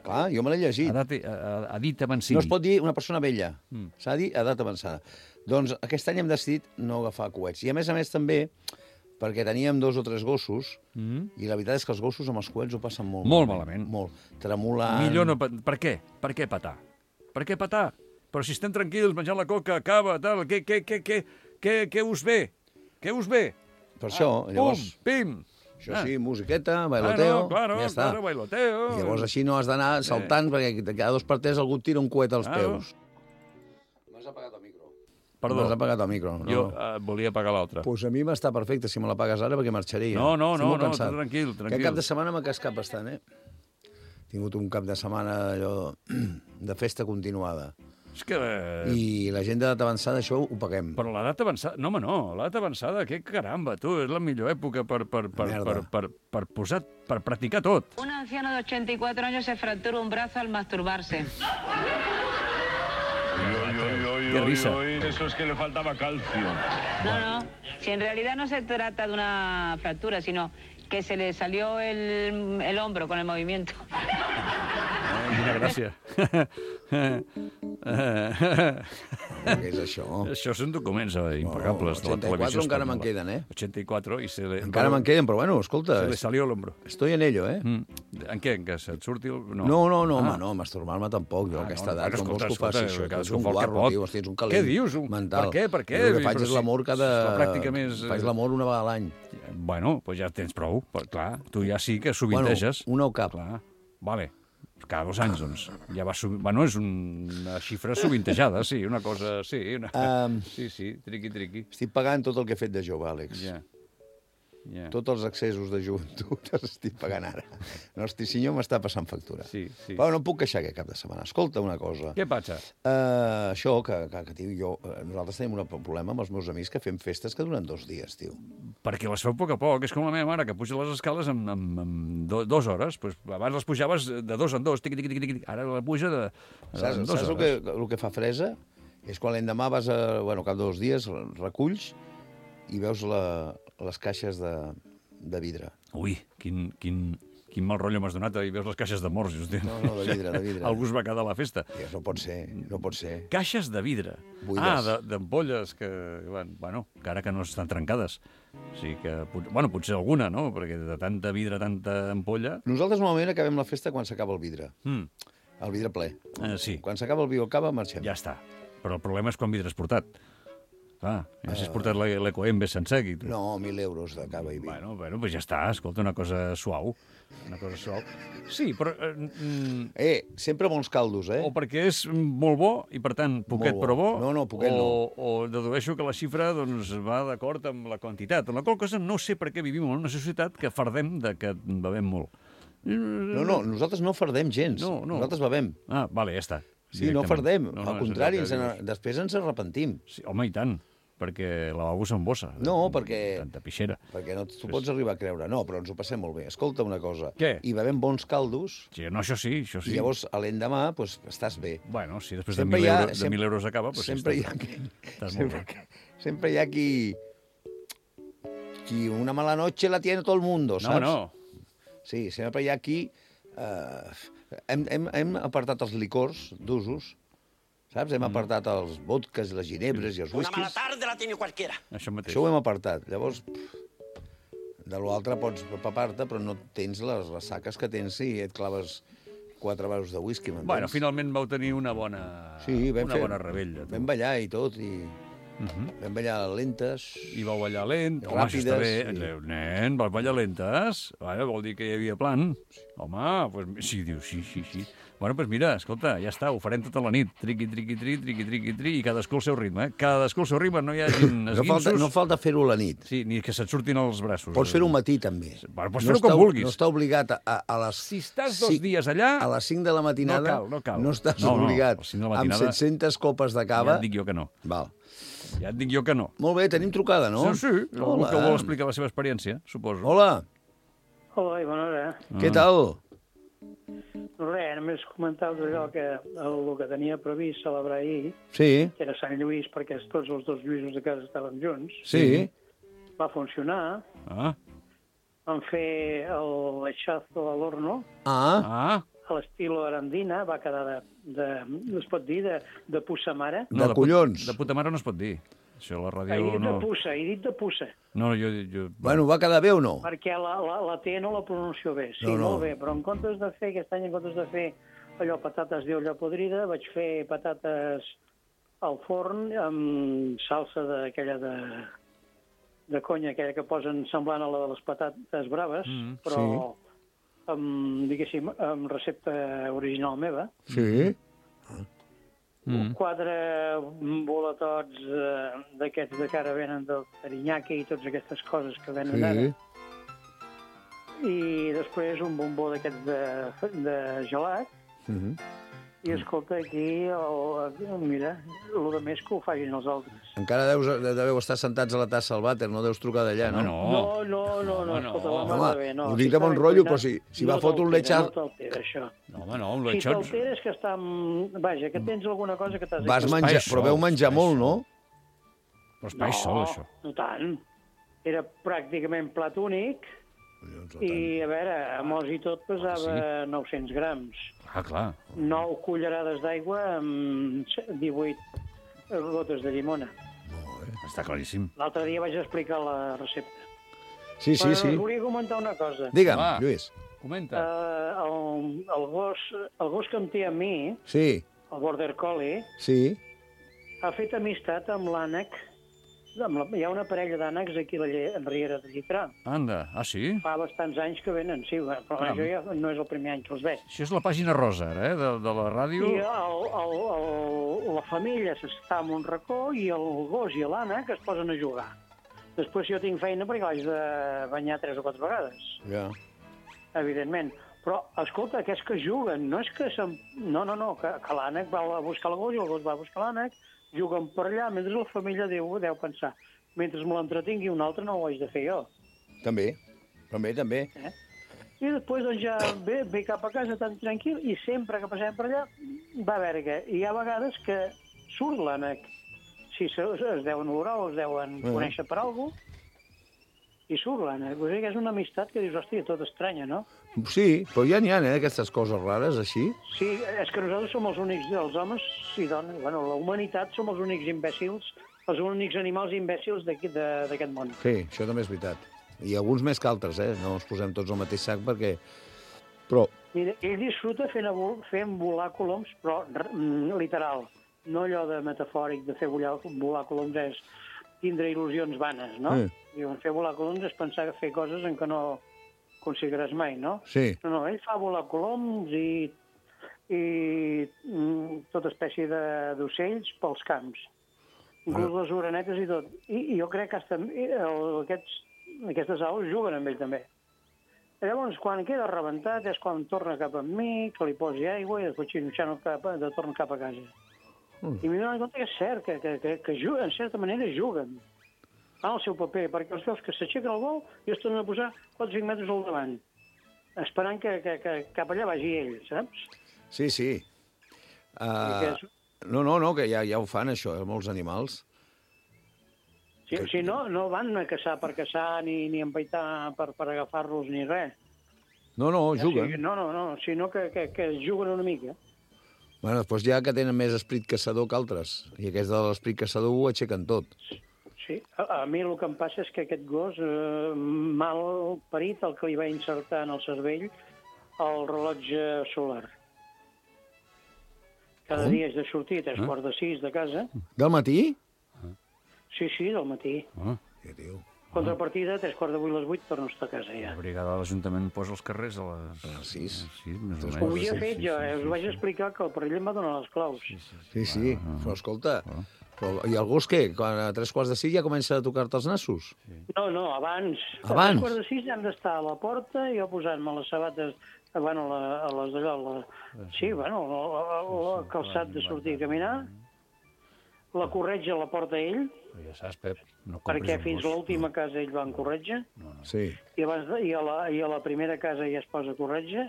S8: Clar, jo me l'he llegit.
S7: Edat, eh, edat avancada.
S8: No es pot dir una persona vella.
S7: Mm.
S8: S'ha de dir edat avançada. Doncs aquest any hem decidit no agafar coets. I a més a més també perquè teníem dos o tres gossos
S7: Mm.
S8: i la veritat és que els gossos amb els coets ho passen molt,
S7: Molt malament.
S8: Molt. Tremolant.
S7: Millor no... pa- Per què? Per què patar? Per què patar? Però si estem tranquils, menjant la coca, cava, tal, què, què, què, què, què, què us ve? Què us ve?
S8: Per això, llavors...
S7: Pum, pim!
S8: Això
S7: Ah.
S8: sí, musiqueta, bailoteo,
S7: Claro, claro,
S8: ja està.
S7: claro, bailoteo.
S8: I llavors així no has d'anar saltant perquè cada dos per tres algú et tira un coet als
S7: Claro.
S8: peus. M'has apagat el micro.
S7: Perdó,
S8: M'has apagat el micro. No.
S7: jo eh, volia pagar l'altra.
S8: Pues a mi m'està perfecte, si me la pagues ara, perquè marxaria.
S7: No, no,
S8: Estic
S7: no,
S8: molt
S7: no,
S8: cansat.
S7: tranquil,
S8: Aquest
S7: tranquil.
S8: cap de setmana m'ha cascat bastant, eh? He tingut un cap de setmana allò de festa continuada.
S7: És que... eh,
S8: I la gent d'edat avançada, això ho paguem.
S7: Però l'edat avançada... No, home, no. L'edat avançada, que caramba, tu, és la millor època per, per, per,
S8: Merda.
S7: per, per, per, posar, per practicar tot.
S10: Un anciano de ochenta y cuatro años se fractura un brazo al masturbarse.
S7: Qué risa.
S2: Eso es que le faltaba calcio.
S10: No, no, si en realidad no se trata de una fractura, sino que se le salió el, el hombro con el movimiento.
S7: Eh, quina gràcia.
S8: Què és això?
S7: Això són documents eh, impecables de la
S8: ochenta y cuatro
S7: televisió
S8: encara
S7: espanyola.
S8: me'n queden, eh?
S7: ochenta y cuatro i se le...
S8: Encara me'n queden, però bueno, escolta,
S7: Se le salió l'hombro.
S8: estoy en ello, eh?
S7: Mm. En què? En què? Se't surti el...
S8: No, no, no,
S7: Ah.
S8: home, no, masturbar-me tampoc, jo a
S7: Ah,
S8: aquesta
S7: no,
S8: edat,
S7: bueno,
S8: com vols que ho
S7: escolta,
S8: faci
S7: escolta,
S8: això? Tu
S7: cadascú
S8: ets un
S7: fa el que
S8: guarro,
S7: pot.
S8: tio, hosti, ets un
S7: Què
S8: calent
S7: dius?
S8: mental.
S7: Per què? Per què?
S8: Jo el que faig
S7: Però
S8: és
S7: si
S8: l'amor cada...
S7: és la pràctica més, eh,
S8: Faig l'amor una vegada a l'any.
S7: Bueno, doncs ja tens prou. Però, clar, tu ja sí que
S8: Bueno,
S7: sovinteges.
S8: una o cap.
S7: Clar, vale. Cada dos anys, doncs. Ja va sovi... Bueno, és una xifra sovintejada, sí, una cosa... Sí, una...
S8: Um,
S7: sí, sí, triqui, triqui.
S8: Estic pagant tot el que he fet de jove, Àlex.
S7: Ja. Ja.
S8: Tots els accessos de joventut els estic pagant ara. No, hosti, senyor, m'està passant factura.
S7: Sí, sí.
S8: Però no em puc queixar aquest cap de setmana. Escolta una cosa.
S7: Què passa?
S8: Uh, això, que, que, que tio, jo, uh, nosaltres tenim un problema amb els meus amics que fem festes que duren dos dies, tio.
S7: Perquè les feu a poc a poc. És com la meva mare, que puja les escales en, en, en do, dues hores. Pues abans les pujaves de dos en dos, tiqui, tiqui, tiqui, tiqui. Ara la puja de, de
S8: Saps,
S7: en dues
S8: saps el,
S7: hores.
S8: que, el que fa fresa? És quan l'endemà vas a... Bueno, cap de dos dies reculls i veus la, les caixes de, de vidre.
S7: Ui, quin, quin, quin mal rotllo m'has donat, i veus les caixes de morts. Hosti.
S8: No, no, de vidre, de vidre.
S7: Algú es va quedar a la festa.
S8: I no pot ser, no pot ser.
S7: Caixes de vidre.
S8: Buides.
S7: Ah, de- d'ampolles que, bueno, encara que no estan trencades. O sigui que, pot- bueno, potser alguna, no? Perquè de tanta vidre, tanta ampolla...
S8: Nosaltres normalment acabem la festa quan s'acaba el vidre.
S7: Mm,
S8: El vidre ple.
S7: eh, sí,
S8: Quan s'acaba el vi o cava, marxem.
S7: ja està. Però el problema és quan vidre has portat. Clar, ja si has portat l'e- l'Ecoembes sencer aquí. Tu.
S8: No, mil euros de cava i vi.
S7: Bueno, bueno, pues ja està, escolta, una cosa suau. Una cosa suau. Sí, però... Eh, mm,
S8: Eh, sempre bons caldos, eh?
S7: o perquè és molt bo, i per tant, poquet
S8: Molt bo.
S7: però bo,
S8: No, no, poquet
S7: o,
S8: no.
S7: o dedueixo que la xifra doncs, va d'acord amb la quantitat. En la qual cosa no sé per què vivim en una societat que fardem de que bevem molt.
S8: No, no, nosaltres no fardem gens.
S7: No, no.
S8: Nosaltres bevem.
S7: Ah, vale, ja està.
S8: Sí, no
S7: directament.
S8: fardem.
S7: No, no,
S8: Al
S7: és
S8: contrari,
S7: allò
S8: ens
S7: que
S8: en,
S7: dius.
S8: després ens arrepentim.
S7: Sí, home, i tant, perquè el lavabo s'embossa.
S8: No, perquè...
S7: Tanta pixera.
S8: Perquè no t'ho pots arribar a creure. No, però ens ho passem molt bé. Escolta una cosa.
S7: Què?
S8: I bevem bons caldos,
S7: Sí, no, això sí, això sí.
S8: i llavors a l'endemà doncs, estàs bé.
S7: Bueno, si després
S8: Sempre
S7: de
S8: hi
S7: mil,
S8: ha-
S7: euro,
S8: sem-
S7: de mil euros acaba, doncs
S8: sempre
S7: sí,
S8: hi ha
S7: estàs,
S8: qui...
S7: estàs molt
S8: sempre,
S7: bé.
S8: sempre hi ha qui... Qui una mala noche la tiene todo el mundo,
S7: No,
S8: saps?
S7: no.
S8: Sí, sempre hi ha qui... Eh, hem, hem, hem apartat els licors d'usos, saps? Hem apartat els vodkas, les ginebres i els whiskies.
S1: tarde la tiene cualquiera.
S7: Això mateix.
S8: Això ho hem apartat. Llavors, pff, de l'altre pots papar-te, però no tens les ressaques que tens si et claves quatre vasos de whisky, m'entens?
S7: Bueno, finalment vau tenir una bona,
S8: Sí, vam
S7: una
S8: fer-
S7: bona rebella.
S8: Vam ballar i tot, i
S7: Uh -huh.
S8: vam ballar lentes.
S7: I vau ballar lent. Home, això està bé.
S8: Ràpides, sí.
S7: Nen, vas ballar lentes? Vaja, vol dir que hi havia plan. Home, pues, sí, diu, sí, sí, sí. Bueno, doncs pues mira, escolta, ja està, ho farem tota la nit. Triqui, triqui, tri, triqui, triqui, tri, i cadascú al seu ritme, eh? Cadascú al seu ritme, no hi hagi
S8: No
S7: esguinços.
S8: falta, no falta fer-ho a la nit.
S7: Sí, ni que se't surtin els braços.
S8: Pots fer-ho al matí, també.
S7: Bueno, pots
S8: no
S7: fer-ho com
S8: està-
S7: vulguis.
S8: No està obligat a, a, a les...
S7: Si estàs dos dies allà...
S8: A les cinc de la matinada
S7: No cal, no cal.
S8: no estàs
S7: No, no,
S8: obligat.
S7: a les cinc de la
S8: Amb
S7: matinada-
S8: set-centes copes de cava...
S7: Ja et dic jo que no.
S8: Val.
S7: Ja et dic jo que no.
S8: Molt bé, tenim trucada, no?
S7: Sí, sí, algú que vol explicar la seva experiència, suposo.
S8: Hola,
S11: Hola, i bona hora.
S8: què tal?
S11: No res, només comentar allò que el, el que tenia previst celebrar ahir,
S8: Sí,
S11: que era Sant Lluís, perquè tots els dos Lluïsos de casa estaven junts,
S8: sí.
S11: va funcionar.
S7: Ah,
S11: Vam fer el lechazo a l'horno,
S8: Ah,
S7: ah.
S11: a l'estilo arandina, va quedar de, de, no es pot dir, de, de puça mare.
S8: De
S7: put-
S8: collons.
S7: De puta mare no es pot dir. Això a la
S11: He
S7: ràdio
S11: dit
S7: no...
S11: de puça, he dit de puça,
S7: No, jo... jo...
S8: bueno, va quedar bé o no?
S11: perquè la, la, la T no la pronuncio bé. Sí,
S8: No, no.
S11: molt bé, però en comptes de fer, aquest any, en comptes de fer allò, patates d'olla podrida, vaig fer patates al forn amb salsa d'aquella de, de conya, aquella que posen semblant a la de les patates braves,
S7: Mm,
S11: però amb, diguéssim, amb recepta original meva.
S8: Sí.
S7: Mm.
S11: Quatre boletots eh, d'aquests de que ara venen del Tarinyaki i totes aquestes coses que venen
S8: Sí.
S11: ara. I després un bombó d'aquests de, de gelat.
S8: Mhm.
S11: I escolta, aquí, el, mira, el de més que ho facin els altres.
S8: Encara deus, deveu estar sentats a la tassa al vàter, no deus trucar d'allà, no?
S7: Home, no.
S11: No, no, no, no,
S7: Home, no.
S11: escolta, la
S8: Home,
S11: mare bé, no.
S8: ho dic de
S11: està
S8: bon
S11: ben
S8: rotllo,
S11: cuinat,
S8: però si- si va
S11: no
S8: fotre un
S11: t'altera,
S8: lechar-
S11: No t'altera, això.
S7: No, home, no, un
S11: Si
S7: lechot...
S11: t'altera és que està... amb- Vaja, que tens alguna cosa que t'has...
S8: Vas
S7: Espai
S8: menjar,
S7: sol,
S8: però veu menjar
S7: espai
S8: molt, no?
S7: Però espai sol, això.
S11: No tant. Era pràcticament plat únic i, a veure, a mos i tot pesava nou-cents grams.
S7: Ah, clar.
S11: nou cullerades d'aigua amb divuit gotes de llimona.
S7: Està claríssim.
S11: L'altre dia vaig explicar la recepta.
S8: Sí, sí,
S11: Però
S8: sí.
S11: us volia comentar una cosa.
S8: Digue'm,
S7: Va.
S8: Lluís.
S7: Comenta.
S11: Uh, el, el, gos, el gos que em té a mi,
S8: Sí,
S11: el Border Collie,
S8: sí.
S11: ha fet amistat amb l'ànec. Amb la, hi ha una parella d'ànecs aquí a la lle, en Riera de Llitrà.
S7: Anda, ah, sí?
S11: Fa bastants anys que venen, sí, però
S7: Caram.
S11: jo ja no és el primer any que els veig.
S7: Això és la pàgina rosa, ara, eh, de, de la ràdio.
S11: I el, el, el, la família s'està en un racó i el gos i l'ànec es posen a jugar. Després jo tinc feina perquè l'haig de banyar tres o quatre vegades,
S8: Ja.
S11: evidentment. Però, escolta, aquests que juguen, no és que... Se'n... No, no, no, que, que l'ànec va a buscar el gos i el gos va a buscar l'ànec, juguen per allà, mentre la família deu, deu pensar, mentre me l'entretingui un altre no ho haig de fer jo.
S8: També, també, també.
S11: Eh? I després doncs, ja ve, ve cap a casa tan tranquil i sempre que passem per allà va a veure que hi ha vegades que surt l'ànec. Si se, es deuen olorar o es deuen
S8: Mhm.
S11: conèixer per alguna cosa, i surt l'ànec. O sigui que és una amistat que dius, hòstia, tot estranya, no?
S8: Sí, però ja n'hi ha, eh, aquestes coses rares, així.
S11: Sí, és que nosaltres som els únics, els homes i dones, bueno, la humanitat som els únics imbècils, els únics animals imbècils d'aquí- de- d'aquest món.
S8: Sí, això també és veritat. I alguns més que altres, eh? No ens posem tots al mateix sac perquè... Però,
S11: Mira, ell disfruta fent, vol, fent volar coloms, però mm, literal. No allò de metafòric de fer volar, volar coloms és tindre il·lusions vanes, no?
S8: Sí.
S11: Diuen, fer volar coloms és pensar fer coses en què no aconseguiràs mai, no?
S8: sí,
S11: No, no, ell fa volar coloms i, i mm, tota espècie de- d'ocells pels camps. Inclús les orenetes i tot. I, i jo crec que hasta, el, aquests, aquestes aus juguen amb ell també. Llavors, quan queda rebentat és quan torna cap amb mi, que li posi aigua i després xinutxant cap, de torna cap a casa. Mm. I m'he donat compte que és cert, que, que, que, que juguen, en certa manera juguen al seu paper, perquè els veus que s'aixequen el vol i es tornen a posar quatre o cinc metres al davant, esperant que, que, que cap allà vagi ell, saps?
S8: Sí, sí. Uh, no, no, no, que ja, ja ho fan, això, eh, molts animals.
S11: Sí, que... Si no, no van a caçar per caçar ni, ni empaitar per, per agafar-los ni res.
S8: No, no, juguen.
S11: Sí, no, no, no, sinó que, que, que juguen una mica.
S8: Bueno, després ja que tenen més esprit caçador que altres, i aquests de l'esprit caçador ho aixequen tot.
S11: Sí, a, a mi el que em passa és que aquest gos, eh, mal parit, el que li va insertar en el cervell el rellotge solar. Cada
S8: Com?
S11: dia és de sortir a tres
S8: Ah.
S11: quarts de sis de casa.
S8: Del matí?
S11: Sí, sí, del matí.
S7: Ah.
S8: Què diu?
S11: Contrapartida, a tres quarts de vuit, les vuit, torno a estar a casa ja.
S7: La brigada de l'Ajuntament posa els carrers a les...
S8: A les sis.
S7: Sí, més o
S11: Ho
S7: menys.
S11: havia
S7: Sí,
S11: fet
S7: sí,
S11: jo,
S7: sí,
S11: eh?
S7: sí,
S11: Us vaig
S7: sí.
S11: explicar que el parell em va donar les claus.
S8: Sí, sí, però escolta, però, i el gos què? Quan a tres quarts de sis ja comença a tocar-te els nassos?
S11: No, no, abans.
S8: Abans?
S11: A tres quarts de sis hem d'estar a la porta i jo posant-me les sabates bueno, a, la, a les d'allò, la... sí, bueno, el calçat de sortir a caminar, la corretja a la porta ell,
S7: Ja saps, Pep, no compris
S11: perquè
S7: un
S11: fins
S7: gos.
S11: a l'última casa ell va en corretja,
S8: Sí.
S11: i, abans de, i, a la, i a la primera casa ja es posa corretja,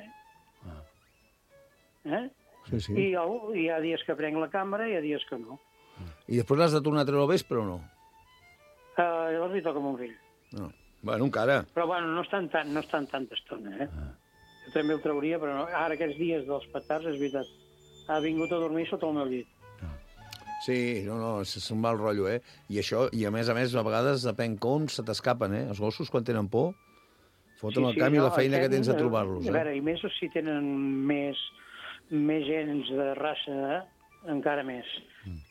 S11: eh?
S8: Sí, sí.
S11: I el, hi ha dies que prenc la càmera i hi ha dies que no.
S8: I després l'has de tornar a treure al vespre o no?
S11: Uh, llavors li toca a mon fill.
S8: No. Bueno, encara.
S11: Però bueno, no estan, tan, no estan tanta estona, eh? Jo també el trauria, però no. Ara aquests dies dels petards, és veritat, ha vingut a dormir sota el meu llit.
S8: Sí, no, no, és és un mal rotllo, eh? I això, i a més a més, a vegades depèn com se t'escapen, eh? Els gossos, quan tenen por, foten el camp i la feina que tens de trobar-los,
S11: A
S8: eh?
S11: veure, i més si tenen més, més gens de raça, eh? Encara més.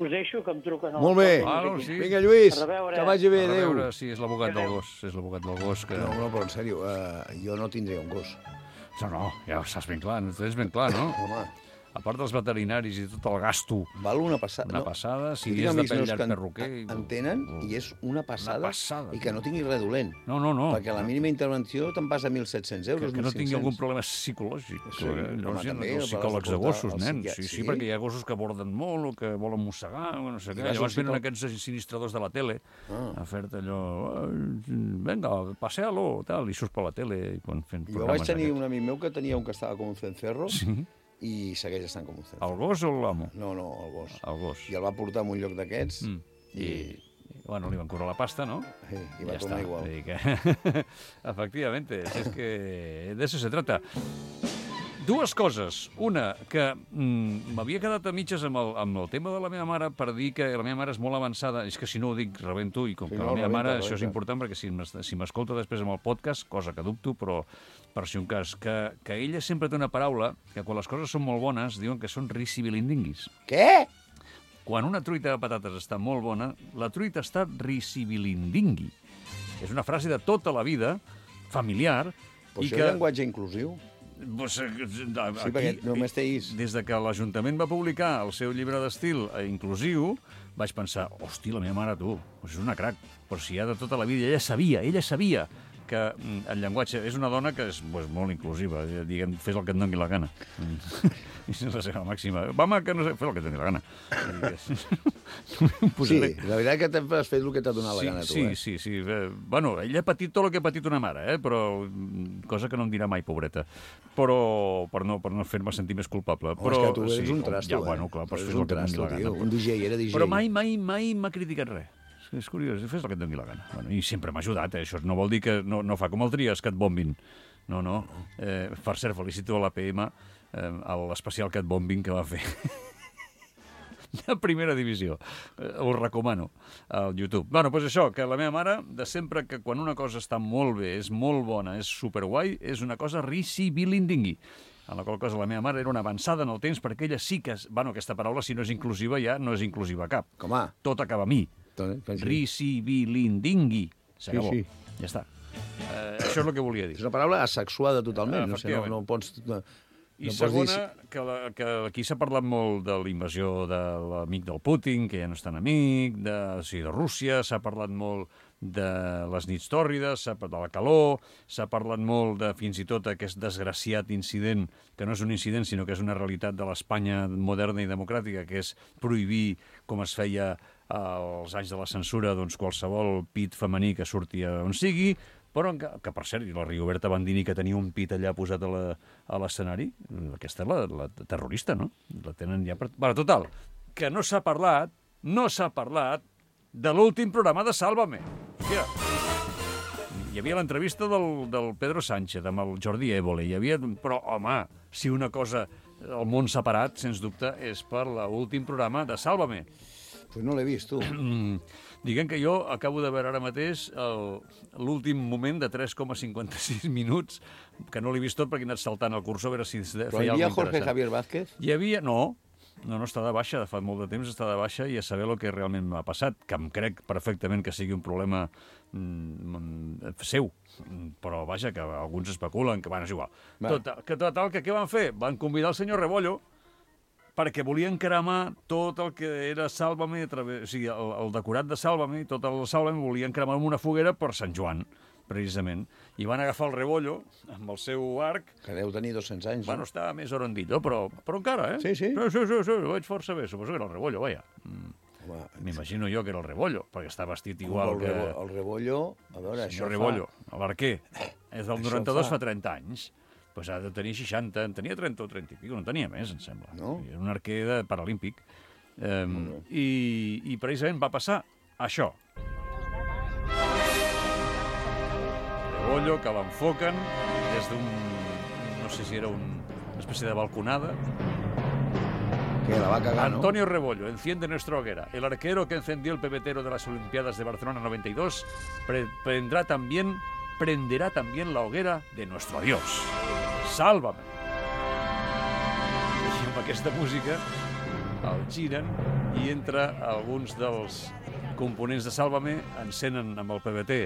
S11: Us deixo, que em truquen...
S8: Molt bé.
S11: al-
S7: Ah, no, sí.
S8: Vinga, Lluís,
S11: A reveure.
S8: que vagi bé,
S7: A
S8: adéu.
S7: veure, sí, és l'abogat del gos, és l'abogat del gos que...
S8: No, no, però en sèrio, uh, jo no tindria un gos.
S7: No, no, ja ho saps ben clar, no tens ben clar, no?
S8: Home,
S7: A part dels veterinaris i tot el gasto,
S8: val una passada.
S7: una passada, si
S8: Jo tinc
S7: és
S8: amics
S7: de
S8: meus
S7: llarg
S8: que en-
S7: perruquer... i-
S8: en tenen i és una passada,
S7: Una passada,
S8: i que no tingui res dolent.
S7: No, no, no.
S8: Perquè la mínima intervenció te'n passa mil set-cents
S7: Que,
S8: euros,
S7: que no
S8: mil
S7: tingui
S8: cinc-cents.
S7: algun problema psicològic.
S8: Sí,
S7: eh?
S8: home,
S7: no sé,
S8: també,
S7: els
S8: vas
S7: psicòlegs de
S8: portar
S7: gossos,
S8: al
S7: nen.
S8: psiquiatre.
S7: Sí, sí,
S8: Sí?
S7: perquè hi ha gossos que borden molt o que volen mossegar o no sé
S8: I
S7: què.
S8: vas al
S7: Llavors venen
S8: psicò-
S7: aquests sinistradors de la tele
S8: Ah.
S7: a fer-te allò... "Ai, Vinga, pasea-lo, tal, i surts per la tele i quan fent
S8: Jo vaig
S7: programes
S8: tenir
S7: d'aquests.
S8: un amic meu que tenia un que estava com un cencerro
S7: Sí?
S8: i segueix estant com un cencerro.
S7: El gos o l'amo?
S8: No, no, el gos.
S7: El gos.
S8: I el va portar a un lloc d'aquests
S7: Mm. I, i, bueno, li van cobrar la pasta, no?
S8: sí, i va
S7: Ja
S8: tornar
S7: està.
S8: igual.
S7: Vull dir que... Efectivamente, si es que de eso se trata. Dues coses. Una, que mm, m'havia quedat a mitges amb el, amb el tema de la meva mare per dir que la meva mare és molt avançada. És que si no ho dic, rebento, i com
S8: Sí,
S7: que
S8: no,
S7: la meva
S8: rebenta,
S7: mare,
S8: rebenta.
S7: això és important, perquè si m'es- si m'escolta després amb el podcast, cosa que dubto, però per si un cas, que, que ella sempre té una paraula que quan les coses són molt bones diuen que són risibilindinguis.
S8: Què?
S7: Quan una truita de patates està molt bona, la truita està risibilindingui. És una frase de tota la vida, familiar,
S8: Però
S7: i
S8: això
S7: que...
S8: és llenguatge inclusiu.
S7: Pues, eh,
S8: Sí, perquè només té is.
S7: Des de que l'Ajuntament va publicar el seu llibre d'estil eh, inclusiu, vaig pensar, hosti, la meva mare, tu, pues és una crac, però si ja de tota la vida, ella sabia, ella sabia que mm, el llenguatge és una dona que és pues, molt inclusiva, eh, diguem, fes el que et doni la gana. I és la seva màxima. Mama, que no sé, fes el que et doni la gana.
S8: Sí, la veritat que t'has fet el que t'ha donat la
S7: sí,
S8: gana, tu,
S7: sí,
S8: eh?
S7: sí, sí. Eh, bueno, ella ha patit tot el que ha patit una mare, eh? Però mm, cosa que no em dirà mai, pobreta. Però per no, per no fer-me sentir més culpable.
S8: Home,
S7: Però,
S8: és que tu eres
S7: sí,
S8: un trasto,
S7: ja,
S8: eh?
S7: Bueno, clar, però
S8: Eres
S7: fes el
S8: un
S7: que et doni
S8: trasto,
S7: la
S8: tio.
S7: gana.
S8: Un D J, era D J.
S7: Però mai, mai, mai m'ha criticat res. És curiós, fes el que et doni la gana. Bueno, I sempre m'ha ajudat, eh? Això no vol dir que no, no fa com el Trias, que et bombin. No, no. Eh, per cert, felicito a l'A P M eh, a l'especial Cat Bombing que va fer de primera divisió. Eh, us recomano al YouTube. Bueno, doncs això, que la meva mare, de sempre que quan una cosa està molt bé, és molt bona, és superguai, és una cosa risibilindingui. En la qual cosa la meva mare era una avançada en el temps perquè ella sí que... Bueno, aquesta paraula, si no és inclusiva, ja no és inclusiva cap.
S8: Com a?
S7: Tot acaba a mi. Risibilindingui. S'acabó.
S8: Sí, sí.
S7: Ja està. Eh, això és el que volia dir.
S8: És una paraula asexuada totalment. No sé, no,
S7: Efectivament.
S8: no pots... No,
S7: I
S8: No pots
S7: segona,
S8: dir-
S7: que, la, que aquí s'ha parlat molt de la invasió de l'amic del Putin, que ja no és tan amic, de, o sigui, de Rússia, s'ha parlat molt de les nits tòrrides, s'ha parlat de la calor, s'ha parlat molt de fins i tot aquest desgraciat incident, que no és un incident, sinó que és una realitat de l'Espanya moderna i democràtica, que és prohibir, com es feia als anys de la censura, doncs qualsevol pit femení que surti on sigui, però que, que per cert, la Rigoberta Bandini, que tenia un pit allà posat a la- a l'escenari, aquesta és la, la terrorista, no? La tenen ja per... Bueno, total, que no s'ha parlat, no s'ha parlat de l'últim programa de Sálvame. Hòstia, hi havia l'entrevista del, del Pedro Sánchez amb el Jordi Évole, hi havia... Però, home, si una cosa el món s'ha parat, sens dubte, és per l'últim programa de Sálvame.
S8: Pues no l'he vist, tu.
S7: Diguem que jo acabo de veure ara mateix el- l'últim moment de tres coma cinquanta-sis minuts, que no l'he vist tot perquè he anat saltant el cursor a veure si feia
S8: Però hi havia
S7: alguna
S8: Jorge
S7: interessant.
S8: Javier Vázquez?
S7: Hi havia... No, no, no està de baixa, de fa molt de temps està de baixa i a saber el que realment m'ha passat, que em crec perfectament que sigui un problema mm, seu, però vaja, que alguns especulen, que bueno, és igual.
S8: Va.
S7: Total, que total, que què van fer? Van convidar el senyor Rebollo perquè volien cremar tot el que era Sálvame, a través, o sigui, el, el decorat de Sálvame, i tot el Sálvame volien cremar amb una foguera per Sant Joan, precisament. I van agafar el Rebollo amb el seu arc.
S8: Que deu tenir dos-cents anys.
S7: Bueno, està més orandillo, però, però encara, eh?
S8: Sí, sí.
S7: Sí, sí, sí, sí, ho veig força bé. Suposo que era el Rebollo, vaja. Mm.
S8: Home,
S7: M'imagino jo que era el Rebollo, perquè està vestit
S8: com
S7: igual
S8: el,
S7: que...
S8: rebo, el rebollo... A veure,
S7: El
S8: això
S7: senyor Rebollo, l'arquer. És del
S8: Això
S7: noranta-dos,
S8: fa-
S7: fa trenta anys. Pues ha de tenir seixanta, en tenia trenta o trenta i pico, no tenia més, em sembla.
S8: No?
S7: Era un arquer de paralímpic. Um, i, I precisament va passar això. Rebollo, que l'enfoquen des d'un... no sé si era un, una espècie de balconada.
S8: Que la va cagar, no?
S7: Antonio Rebollo enciende nuestra hoguera. El arquero que encendió el pebetero de las Olimpiadas de Barcelona noventa y dos pre prendrá también, prenderá también la hoguera de nuestro adiós. Sálvame. I amb aquesta música el giren i entre alguns dels components de Sálvame encenen amb el P B T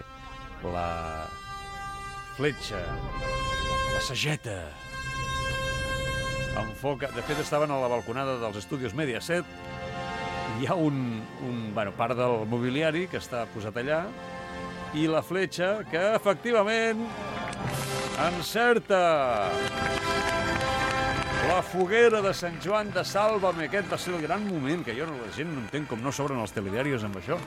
S7: la fletxa, la sageta, enfoca... De fet, estaven a la balconada dels estudis Mediaset. Hi ha un, un bueno, part del mobiliari que està posat allà i la fletxa que, efectivament, encerta la foguera de Sant Joan de Sálvame. Aquest va ser el gran moment, que jo no, la gent no entén com no s'obren els telediarios amb això.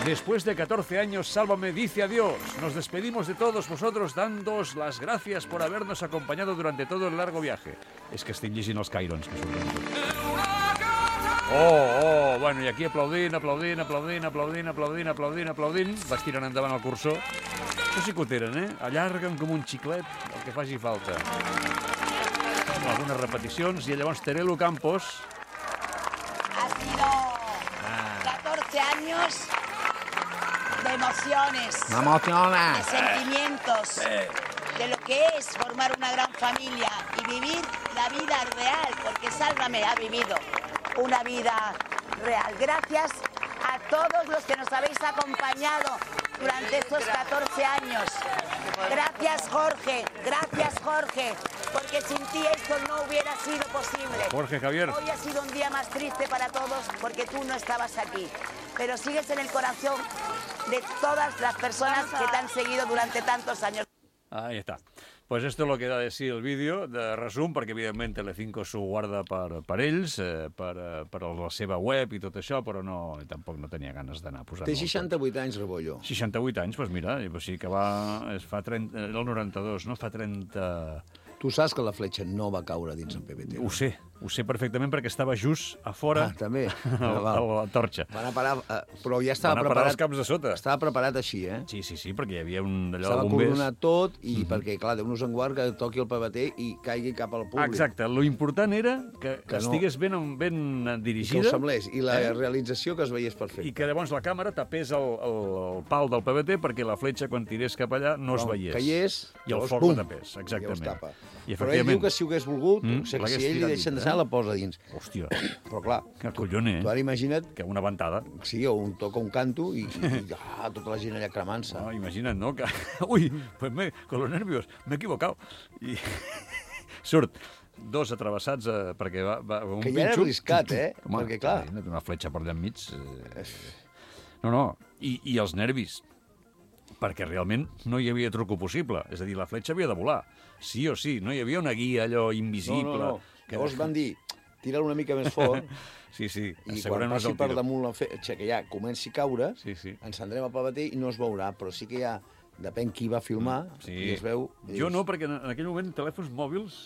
S7: Después de catorce años, Sálvame dice adiós. Nos despedimos de todos vosotros dándoos las gracias por habernos acompañado durante todo el largo viaje. És que estic llegint els Cairons, que surten. Oh, oh, bueno, i aquí aplaudint, aplaudint, aplaudint, aplaudint, aplaudint, aplaudint, aplaudint, vas tirant endavant el cursor. Això sí que ho tenen, eh? Allarguen com un xiclet, el que faci falta. Algunes repeticions, i llavors Terelu Campos...
S12: Ha sido catorce años de emociones,
S8: Me emociona.
S12: de sentimientos, de lo que es formar una gran familia y vivir la vida real, porque Sálvame ha vivido una vida real. Gracias a todos los que nos habéis acompañado durante estos catorce años. Gracias, Jorge, gracias, Jorge, porque sin ti esto no hubiera sido posible.
S7: Jorge Javier.
S12: Hoy ha sido un día más triste para todos porque tú no estabas aquí, pero sigues en el corazón de todas las personas que te han seguido durante tantos años.
S7: Ahí está. Pues esto es lo que da de sí el vídeo de resum, perquè evidentment Telecinco s'ho guarda per, per ells, eh, per, eh, per la seva web i tot això, però no, tampoc no tenia ganes d'anar posant...
S8: Té seixanta-vuit anys, Rebollo.
S7: seixanta-vuit anys, doncs mira, o sigui que va... Es fa trenta, era el noranta-dos, no? Fa trenta...
S8: Tu saps que la fletxa no va caure dins el P B T.
S7: Ho sé, ho sé perfectament perquè estava just a fora
S8: Ah, també.
S7: a la, a la torxa.
S8: Van a parar, eh, però ja estava
S7: Van a parar
S8: preparat.
S7: els caps de sota.
S8: Estava preparat així, eh?
S7: Sí, sí, sí, perquè hi havia un d'allò
S8: Estava
S7: de bombers.
S8: coronat tot i perquè, clar, Déu-nos en guard que toqui el P B T i caigui cap al públic.
S7: Exacte, lo important era que, que,
S8: Que no.
S7: estigués ben, ben
S8: I que
S7: dirigida.
S8: ho semblés. I la
S7: eh?
S8: realització que es veiés perfecte.
S7: I que llavors la càmera tapés el, el, el pal del P B T perquè la fletxa, quan tirés cap allà, no es
S8: Quan
S7: veiés.
S8: Caigués,
S7: I el
S8: llavors,
S7: foc
S8: bum,
S7: la tapés, exactament.
S8: I tapa.
S7: I
S8: Però ell diu que si ho hagués volgut,
S7: Mm,
S8: o sigui,
S7: l'hagués
S8: si ell li
S7: tirat
S8: deixen
S7: dins,
S8: deixar,
S7: eh?
S8: la posa dins.
S7: Hòstia,
S8: Però clar,
S7: que collone,
S8: tu
S7: eh?
S8: ara imagina't
S7: Que una ventada.
S8: sí, o un toca un canto i, i ah, tota la gent allà cremant-se.
S7: No, imagina't, no? Que... Ui, pues me, con los nervios, me he equivocado. I surt dos atravessats eh, perquè va, va un
S8: Que ja era
S7: pinxo.
S8: arriscat, eh?
S7: Home,
S8: Perquè, clar...
S7: una fletxa per allà enmig... Eh... No, no, i, i els nervis, perquè realment no hi havia truco possible. És a dir, la fletxa havia de volar. Sí o sí, no hi havia una guia allò invisible...
S8: No, no, no.
S7: Que...
S8: Llavors van dir, tira-la una mica més fort...
S7: Sí, sí,
S8: i quan passi per damunt la fletxa, que ja comenci a caure,
S7: sí, sí.
S8: encendrem el paper i no es veurà, però sí que ja depèn qui va filmar
S7: sí.
S8: i es veu...
S7: I jo no, perquè en aquell moment telèfons mòbils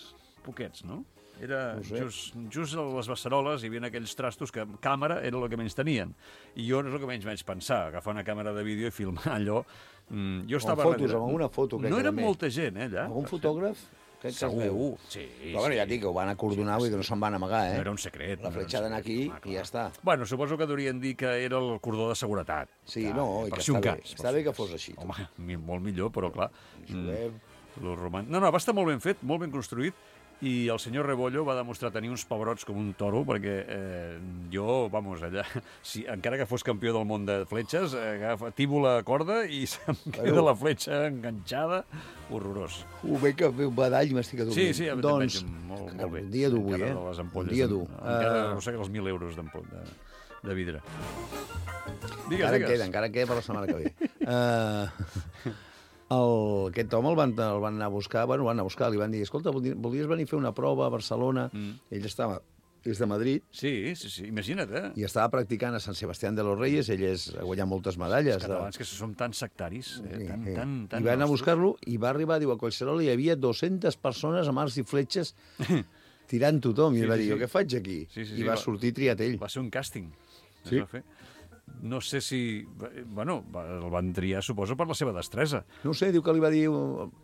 S7: poquets, no? Era
S8: no sé.
S7: just, just a les beceroles hi havia aquells trastos que càmera era el que menys tenien. I jo és el que menys vaig pensar, agafar una càmera de vídeo i filmar allò. Mm, jo estava...
S8: Amb fotos, amb alguna foto.
S7: No era molta gent, eh, allà.
S8: Algun fotògraf? Crec que
S7: segur,
S8: es veu.
S7: sí.
S8: Però bueno, ja et dic que ho van acordonar, vull dir que no se'n van amagar, eh?
S7: No era un secret.
S8: La fletxa d'anar aquí i ja està.
S7: Bueno, suposo que deurien dir que era el cordó de seguretat.
S8: Sí, no, i
S7: per
S8: que
S7: si un
S8: està bé.
S7: cas.
S8: Està bé que fos així.
S7: Home, molt millor, però clar...
S8: Juguem.
S7: Lo roman... No, no, va estar molt ben fet, molt ben construït, i el senyor Rebollo va demostrar tenir uns pebrots com un toro, perquè eh, jo, vamos, allà, si, encara que fos campió del món de fletxes, agafa, tibo la corda i se'm queda bueno. la fletxa enganxada, horrorós.
S8: Uh, bé que ve un badall m'estic adormint.
S7: Sí, sí,
S8: doncs,
S7: molt, molt bé.
S8: Un dia dur avui, eh?
S7: Les ampolles,
S8: un dia dur.
S7: Encara, uh... no sé, els mil euros d'ampolla de, de vidre. Digues,
S8: encara
S7: digues.
S8: queda, encara queda per la setmana que ve. uh... El, aquest home el van, el van anar a buscar, bueno, el van anar a buscar, li van dir, escolta, volies venir a fer una prova a Barcelona? Mm. Ell estava, és de Madrid.
S7: Sí, sí, sí, imagina't, eh?
S8: I estava practicant a Sant Sebastián de los Reyes, ell és, ha guanyat moltes medalles.
S7: Els catalans, de... que som tan sectaris, eh?
S8: Sí,
S7: tan,
S8: sí.
S7: tan, tan
S8: I van anar a
S7: nostres.
S8: buscar-lo i va arribar, diu, a Collserola hi havia dues-centes persones amb arcs i fletxes tirant tothom. I sí, va dir, sí, sí. Què faig aquí?
S7: Sí, sí, sí,
S8: I va, va sortir triat ell.
S7: Va ser un càsting.
S8: Sí.
S7: Va fer. No sé si... Bueno, el van triar, suposo, per la seva destresa.
S8: No sé, diu que li va dir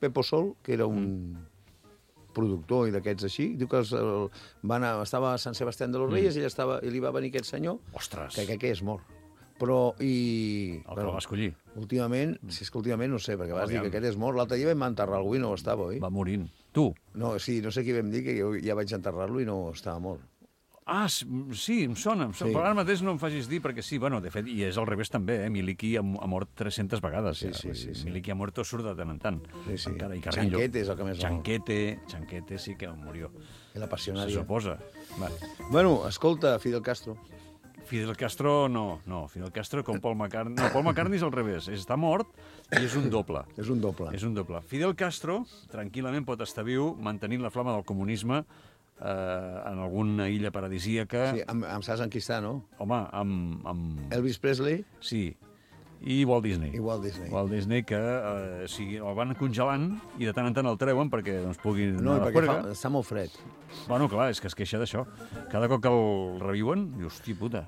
S8: Pepo Sol, que era un mm. productor i d'aquests així, diu que els, el, va anar, estava a Sant Sebastián de los Reyes mm. i, estava, i li va venir aquest senyor,
S7: Ostres.
S8: que, que, que és mort. Però, i...
S7: El que bueno, va escollir.
S8: Últimament, si és que últimament no sé, perquè vas Aviam. dir que aquest és mort. L'altre dia vam enterrar algú i no estava, oi?
S7: Va morint. Tu?
S8: No, sí, no sé qui vam dir, que jo ja vaig enterrar-lo i no estava mort.
S7: Ah, sí, em sona, em sona. Sí. Però ara mateix no em facis dir, perquè sí, bueno, de fet, i és al revés també, eh? Miliki ha, ha mort tres-centes vegades.
S8: Sí,
S7: ja.
S8: sí, sí, sí.
S7: Miliki ha mort o surt de tant en tant.
S8: Sí, sí.
S7: Encara, i
S8: Chanquete és el que més
S7: Chanquete, Chanquete sí que murió.
S8: El apassionari.
S7: Se suposa. Vale.
S8: Bueno, escolta, Fidel Castro.
S7: Fidel Castro, no, no. Fidel Castro com Paul McCartney. No, Paul McCartney és al revés. Està mort i és un doble.
S8: És un doble.
S7: És un doble. Fidel Castro, tranquil·lament, pot estar viu mantenint la flama del comunisme eh, en alguna illa paradisíaca.
S8: Sí, amb, amb saps en qui està, no?
S7: Home, amb, amb...
S8: Elvis Presley.
S7: Sí. I Walt Disney.
S8: I Walt Disney.
S7: Walt Disney, que eh, o sigui, el van congelant i de tant en tant el treuen perquè doncs, pugui
S8: no,
S7: anar a la
S8: perquè
S7: juerga.
S8: fa, està molt fred.
S7: Bueno, clar, és que es queixa d'això. Cada cop que el reviuen, diu, hosti puta,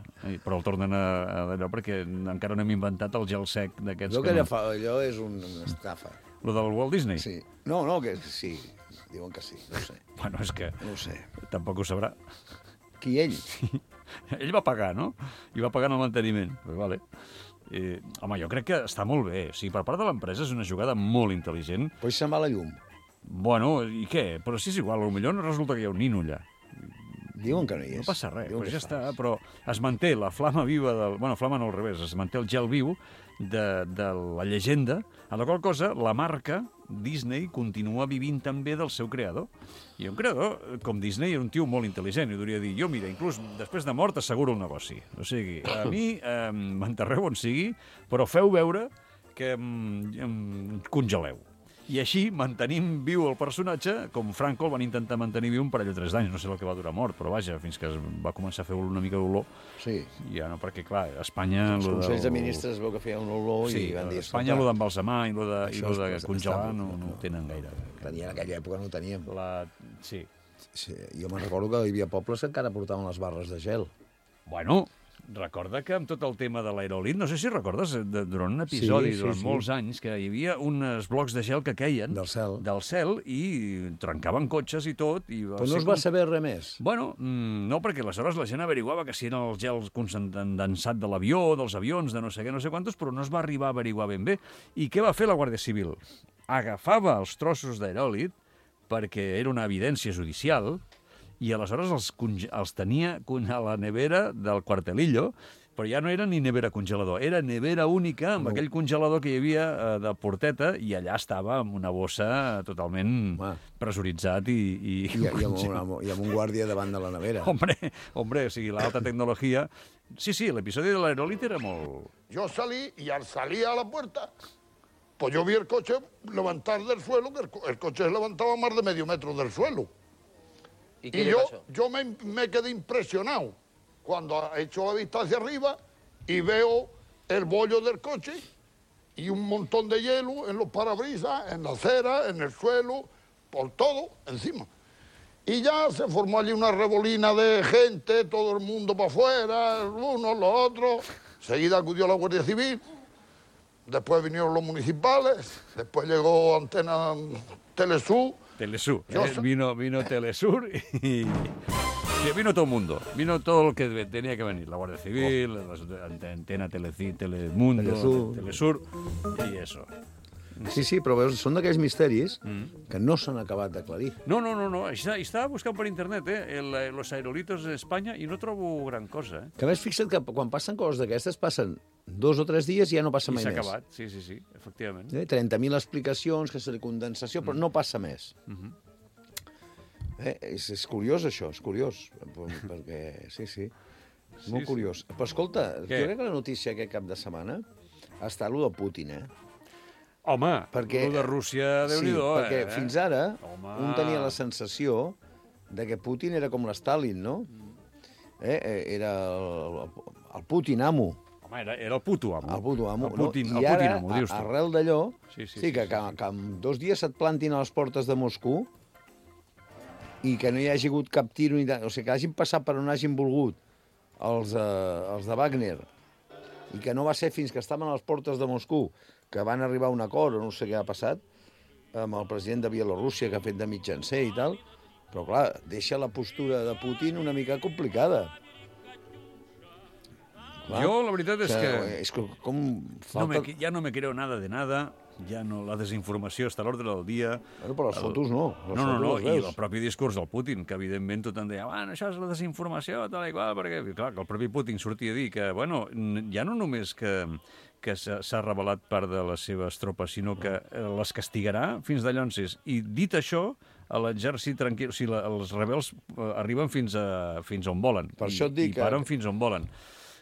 S7: però el tornen a, a d'allò perquè encara no hem inventat el gel sec d'aquests.
S8: Jo
S7: que,
S8: que
S7: no...
S8: fa, allò és un, una estafa.
S7: Lo del Walt Disney?
S8: Sí. No, no, que sí. Diuen que sí, no ho sé.
S7: Bueno, és que...
S8: No ho sé.
S7: Tampoc ho sabrà.
S8: Qui, ell?
S7: Sí. Ell va pagar, no? I va pagar en el manteniment. Pues vale. Eh, home, jo crec que està molt bé. O sigui, per part de l'empresa és una jugada molt intel·ligent.
S8: Pues se'n va la llum.
S7: Bueno, i què? Però si és igual, potser no resulta que hi ha un nino allà.
S8: Diuen que no hi és.
S7: No passa res,
S8: Diuen
S7: però ja
S8: és
S7: està.
S8: fals.
S7: Però es manté la flama viva del... Bueno, flama no al revés, es manté el gel viu de, de la llegenda, a la qual cosa la marca Disney continua vivint també del seu creador. I un creador, com Disney, era un tio molt intel·ligent, i hauria de dir, jo, mira, inclús després de mort asseguro el negoci. O sigui, a mi eh, m'enterreu on sigui, però feu veure que em, em congeleu. I així mantenim viu el personatge, com Franco el van intentar mantenir viu un parell o tres d'anys, no sé el que va durar mort, però vaja, fins que es va començar a fer una mica d'olor.
S8: Sí.
S7: Ja no, perquè clar, a Espanya...
S8: Els
S7: lo
S8: consells
S7: del...
S8: de ministres es veu que feien un olor
S7: sí,
S8: i van dir...
S7: a Espanya lo d'embalsamar i lo de, i
S8: Això
S7: lo de
S8: és-
S7: congelar
S8: està-
S7: no, no ho tenen gaire.
S8: Tenia en aquella època, no ho teníem.
S7: La... Sí.
S8: Sí, jo me'n recordo que hi havia pobles que encara portaven les barres de gel.
S7: Bueno, recorda que amb tot el tema de l'aeròlit, no sé si recordes, de, durant un episodi,
S8: Sí, sí,
S7: durant
S8: sí.
S7: molts anys, que hi havia uns blocs de gel que queien
S8: Del cel.
S7: del cel i trencaven cotxes i tot. I va
S8: Però no
S7: ser
S8: es va
S7: com-
S8: saber res més.
S7: Bueno, mm, no, perquè aleshores la gent averiguava que si eren els gels condensat de l'avió, dels avions, de no sé què, no sé quantos, però no es va arribar a averiguar ben bé. I què va fer la Guàrdia Civil? Agafava els trossos d'aeròlit, perquè era una evidència judicial, i aleshores els, conge- els tenia a la nevera del Cuartelillo però ja no era ni nevera congelador, era nevera única amb
S8: No.
S7: aquell congelador que hi havia eh, de porteta i allà estava amb una bossa totalment
S8: Home.
S7: pressuritzat i... I,
S8: I, i, amb un, I amb un guàrdia davant de la nevera.
S7: Hombre, hombre, o sigui, l'alta tecnologia... Sí, sí, l'episodi de l'aeròlit era molt...
S13: Yo salí y al salir a la puerta, pues yo vi el coche levantar del suelo, que el, co- el coche se levantaba más de medio metro del suelo.
S14: ¿Y
S13: Y,
S14: qué le
S13: yo,
S14: pasó?
S13: yo me, me quedé impresionado cuando echo la vista hacia arriba y veo el bollo del coche y un montón de hielo en los parabrisas, en la acera, en el suelo, por todo encima. Y ya se formó allí una revolina de gente, todo el mundo para afuera, unos, los otros. Enseguida acudió la Guardia Civil, después vinieron los municipales, después llegó Antena Telesur.
S7: Telesur,
S13: Yo
S7: eh?
S13: sé-
S7: vino, vino Telesur y... Sí, vino todo el mundo, vino todo lo que tenía que venir, la Guardia Civil, las ante- Antena Teleci, Telemundo,
S8: Telesur.
S7: Telesur y eso.
S8: Sí, sí, però veus, són d'aquells misteris
S7: Mm.
S8: que no s'han acabat d'aclarir.
S7: No, no, no, no. Està, estava buscant per internet eh, el, eh, los aerolitos de Espanya i no trobo gran cosa. Eh?
S8: Que a més, fixa't que quan passen coses d'aquestes, passen dos o tres dies i ja no passa
S7: I
S8: mai
S7: s'ha
S8: més.
S7: acabat, sí, sí, sí, efectivament.
S8: Eh? trenta mil explicacions, que serà condensació, però no passa més.
S7: Mhm.
S8: Eh? És, és curiós, això, és curiós. Perquè, sí, sí, és molt
S7: Sí, sí.
S8: curiós. Però escolta,
S7: Què?
S8: jo crec que la notícia aquest cap de setmana ha estat allò de Putin, eh?
S7: Home,
S8: Perquè,
S7: el de Rússia,
S8: sí,
S7: Déu-n'hi-do,
S8: perquè
S7: eh?
S8: fins ara
S7: Home.
S8: un tenia la sensació de que Putin era com l'Stalin, no? Eh? eh, Era el, el Putin amo.
S7: Home, era, era el puto amo.
S8: El puto amo.
S7: El Putin,
S8: no?
S7: el
S8: I
S7: Putin
S8: ara,
S7: amo, dius tu.
S8: arrel d'allò,
S7: Sí, sí,
S8: sí, que,
S7: sí,
S8: que, que en dos dies et plantin a les portes de Moscou i que no hi hagi hagut cap tiro, ni de... o sigui, que hagin passat per on hagin volgut els, eh, els de Wagner i que no va ser fins que estaven a les portes de Moscou que van arribar a un acord, o no sé què ha passat, amb el president de Bielorússia, que ha fet de mitjancer i tal, però, clar, deixa la postura de Putin una mica complicada. Clar.
S7: Jo, la veritat és
S8: O sigui,
S7: que...
S8: És que com
S7: No
S8: falta...
S7: me, ja no me creo nada de nada, ja no, la desinformació està a l'ordre del dia.
S8: Bueno, però les fotos no, les
S7: no, no,
S8: fotos
S7: no,
S8: les
S7: i
S8: veus.
S7: el propi discurs del Putin, que evidentment tothom deia, bueno, això és la desinformació, tal i qual, perquè, clar, que el propi Putin sortia a dir que, bueno, n- ja no només que, que s'ha s'ha revelat part de les seves tropes, sinó que eh, les castigarà fins d'allonses. I dit això, a l'exèrcit tranquil, o sigui, la, els rebels eh, arriben fins, a, fins on volen.
S8: Per
S7: i,
S8: això et dic
S7: I
S8: que-
S7: paren fins on volen.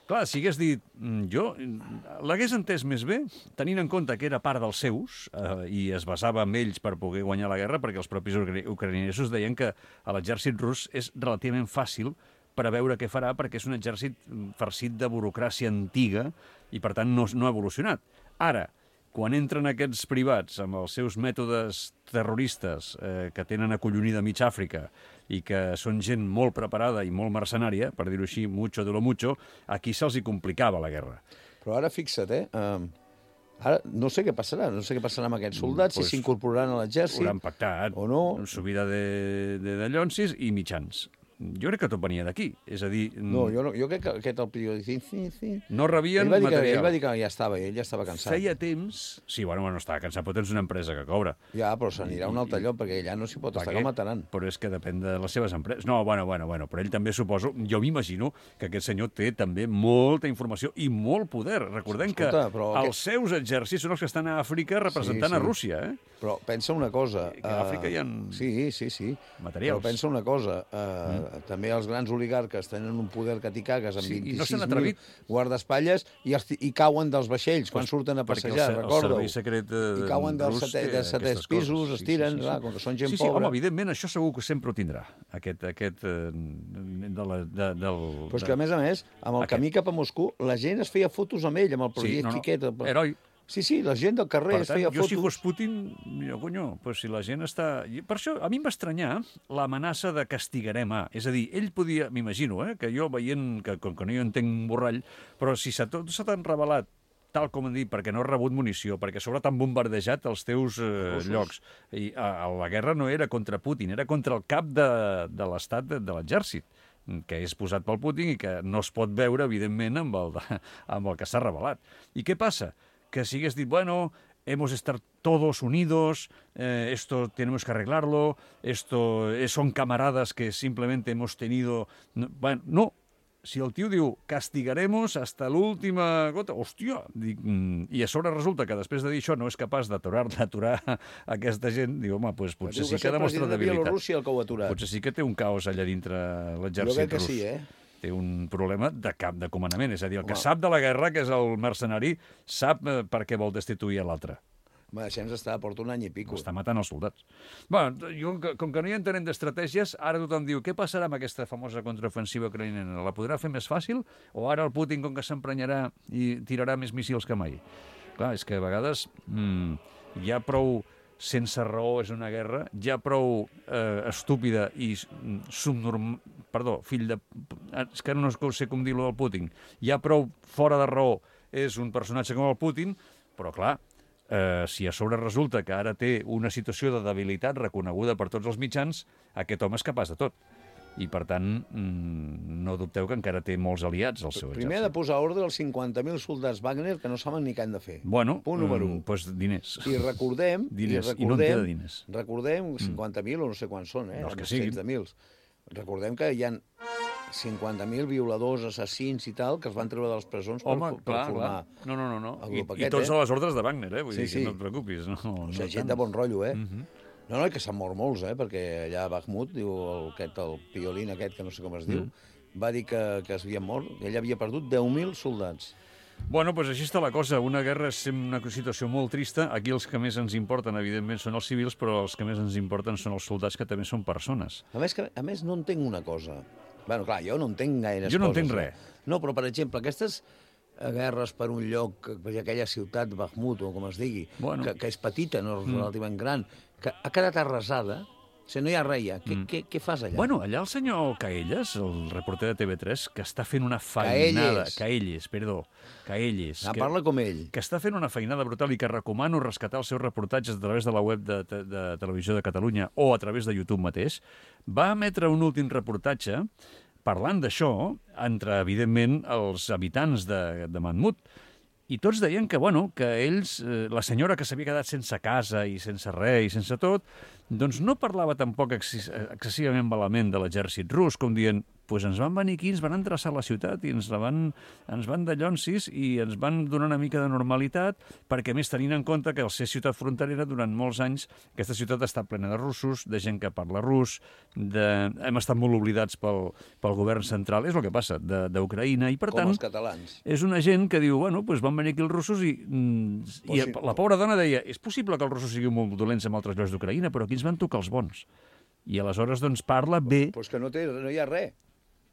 S7: Clar, si hagués dit, mm, jo mm, l'hagués entès més bé, tenint en compte que era part dels seus eh, i es basava en ells per poder guanyar la guerra, perquè els propis ucra- ucraïnesos deien que a l'exèrcit rus és relativament fàcil preveure què farà, perquè és un exèrcit mm, farcit de burocràcia antiga i, per tant, no, no ha evolucionat. Ara, quan entren aquests privats amb els seus mètodes terroristes eh, que tenen acollonida mig Àfrica i que són gent molt preparada i molt mercenària, per dir-ho així, mucho de lo mucho, aquí se'ls hi complicava la guerra.
S8: Però ara fixa't, eh? Um, ara no sé què passarà, no sé què passarà amb aquests soldats,
S7: Pues,
S8: si s'incorporaran a l'exèrcit
S7: Ho han pactat.
S8: o no.
S7: Subida de, de dallonsis i mitjans. Jo crec que tot venia d'aquí. És a dir...
S8: No, jo, no, jo crec que aquest el periodista... Sí, sí.
S7: No rebien
S8: ell va dir que,
S7: material.
S8: ell va dir que ja estava, ell ja estava cansat.
S7: Feia temps... Sí, bueno, bueno, estava cansat, però tens una empresa que cobra.
S8: Ja, però s'anirà a un altre lloc, perquè allà no s'hi pot
S7: Per
S8: estar,
S7: què?
S8: que el mataran.
S7: Però és que depèn de les seves empreses. No, bueno, bueno, bueno, però ell també suposo... Jo m'imagino que aquest senyor té també molta informació i molt poder. Recordem
S8: Escolta,
S7: que
S8: però
S7: els
S8: aquest-
S7: seus exèrcits són els que estan a Àfrica representant
S8: Sí, sí.
S7: a Rússia, eh?
S8: Però pensa una cosa...
S7: Que a Àfrica hi ha
S8: Sí, sí, sí.
S7: materials.
S8: Però pensa una cosa, uh, mm. també els grans oligarques tenen un poder que t'hi cagues amb
S7: Sí, i no
S8: vint-i-sis
S7: s'han
S8: mil
S7: atrevit.
S8: guardaespatlles i, els, i cauen dels vaixells quan surten a
S7: Perquè el
S8: passejar,
S7: se- el
S8: recorda-ho.
S7: servei secret de-
S8: I cauen dels
S7: rus
S8: setè,
S7: té
S8: de setè
S7: aquestes
S8: pisos,
S7: coses.
S8: es tiren,
S7: Sí, sí, sí,
S8: clar,
S7: sí.
S8: com que són gent
S7: sí, sí,
S8: pobra.
S7: Home, evidentment, això segur que sempre ho tindrà, aquest, aquest eh, de la, de, del...
S8: Però és que, a més a més, amb el
S7: Aquest.
S8: camí cap a Moscou, la gent es feia fotos amb ell, amb el
S7: Sí,
S8: projecte
S7: no, no,
S8: aquest. el-
S7: heroi.
S8: Sí, sí, la gent del carrer
S7: Per
S8: es
S7: tant,
S8: feia
S7: jo
S8: fotos.
S7: si fos Putin, jo, conyo, pues si la gent està... I per això, a mi em va estranyar l'amenaça de castigarem a... És a dir, ell podia, m'imagino, eh, que jo veient, que com que no hi entenc un borrall, però si se tot se t'han revelat tal com han dit, perquè no has rebut munició, perquè a sobre t'han bombardejat els teus eh, llocs. I a, a la guerra no era contra Putin, era contra el cap de, de l'estat, de, de l'exèrcit, que és posat pel Putin i que no es pot veure, evidentment, amb el, de, amb el que s'ha revelat. I què passa? Que si hagués dit, bueno, hemos de estar todos unidos, eh, esto tenemos que arreglarlo, esto eh, son camaradas que simplemente hemos tenido... No, bueno, no, si el tio diu castigaremos hasta l'última gota, hòstia, dic, mm, i a sobre resulta que després de dir això no és capaç d'aturar d'aturar aquesta gent, diu, home, doncs potser
S8: Diu
S7: sí que demostra
S8: el president de
S7: debilitat.
S8: Bielorússia el que ho ha aturat.
S7: Potser sí que té un caos allà dintre
S8: Jo
S7: l'exèrcit
S8: crec que
S7: rus.
S8: sí, eh?
S7: Té un problema de cap de comandament, és a dir, el que
S8: Home.
S7: sap de la guerra, que és el mercenari, sap eh, per què vol destituir a l'altre.
S8: Home, deixem estar, porta un any i pico.
S7: Està matant els soldats. Bueno, jo, com que no hi entenem d'estratègies, ara tothom diu, què passarà amb aquesta famosa contraofensiva ucraïnena? La podrà fer més fàcil? O ara el Putin, com que s'emprenyarà i tirarà més míssils que mai? Clar, és que a vegades mm, hi ha prou sense raó, és una guerra, hi ha prou eh, estúpida i subnorm... Perdó, fill de... És que no sé com dir-lo del Putin. Hi ha prou fora de raó, és un personatge com el Putin, però clar, Eh, si a sobre resulta que ara té una situació de debilitat reconeguda per tots els mitjans, aquest home és capaç de tot. I, per tant, mmm, no dubteu que encara té molts aliats al seu exèrcit.
S8: Primer ha de posar ordre als cinquanta mil soldats Wagner que no saben ni què han de fer.
S7: Bueno,
S8: Punt número
S7: mm,
S8: un.
S7: pues diners.
S8: I recordem...
S7: diners,
S8: i, recordem,
S7: i no en queda diners.
S8: Recordem, cinquanta mil o no sé quants són, eh?
S7: No, els que
S8: Cents
S7: siguin.
S8: de mils. Recordem que hi ha cinquanta mil violadors, assassins i tal, que es van treure de les presons per,
S7: Home,
S8: per
S7: clar,
S8: formar
S7: clar. No, no, no, no.
S8: el
S7: I,
S8: grup
S7: I
S8: aquest,
S7: tots
S8: eh?
S7: a les ordres de Wagner, eh? Vull
S8: Sí,
S7: dir,
S8: sí.
S7: que no et preocupis. No,
S8: O
S7: no
S8: sigui, gent
S7: tant.
S8: de bon rotllo, eh?
S7: Mm -hmm.
S8: No, no, i que s'han mort molts, eh? Perquè allà a Bakhmut, diu el, aquest, el piolín aquest, que no sé com es diu,
S7: Mm.
S8: va dir que, que es havien mort, que ell havia perdut deu mil soldats.
S7: Bueno, doncs així està la cosa. Una guerra és una situació molt trista. Aquí els que més ens importen, evidentment, són els civils, però els que més ens importen són els soldats, que també són persones.
S8: A més, que, a més no entenc una cosa. Bueno, clar, jo no entenc gaires
S7: Jo no
S8: coses.
S7: entenc
S8: eh?
S7: res.
S8: No, però, per exemple, aquestes eh, guerres per un lloc, per aquella ciutat, Bakhmut, o com es digui,
S7: Bueno.
S8: que, que és petita, no és
S7: Mm.
S8: relativament gran, que ha quedat arrasada, o sigui, no hi ha res ja. Què,
S7: Mm.
S8: què, què fas allà?
S7: Bueno, allà el senyor Caelles, el reporter de T V tres, que està fent una feinada...
S8: Caelles.
S7: Caelles, perdó. Caelles.
S8: Ah,
S7: que,
S8: parla com ell.
S7: que està fent una feinada brutal i que recomano rescatar els seus reportatges a través de la web de, de, de Televisió de Catalunya o a través de YouTube mateix. Va emetre un últim reportatge parlant d'això entre, evidentment, els habitants de, de Mahmud. I tots deien que, bueno, que ells, eh, la senyora que s'havia quedat sense casa i sense res i sense tot, doncs no parlava tampoc exces excessivament malament de l'exèrcit rus, com dient, pues ens van venir aquí, ens van endreçar la ciutat i ens la van, ens van de llonsis i ens van donar una mica de normalitat, perquè a més tenint en compte que al ser ciutat fronterera durant molts anys aquesta ciutat està plena de russos, de gent que parla rus, de... hem estat molt oblidats pel, pel govern central, és el que passa, d'Ucraïna, i per
S8: Com
S7: tant
S8: els catalans.
S7: és una gent que diu, bueno, doncs van venir aquí els russos i, mm, i
S8: O si-
S7: la pobra dona deia, és possible que els russos siguin molt dolents en altres llocs d'Ucraïna, però aquí ens van tocar els bons. I aleshores, doncs, parla bé...
S8: Doncs pues que no, té, no hi ha res.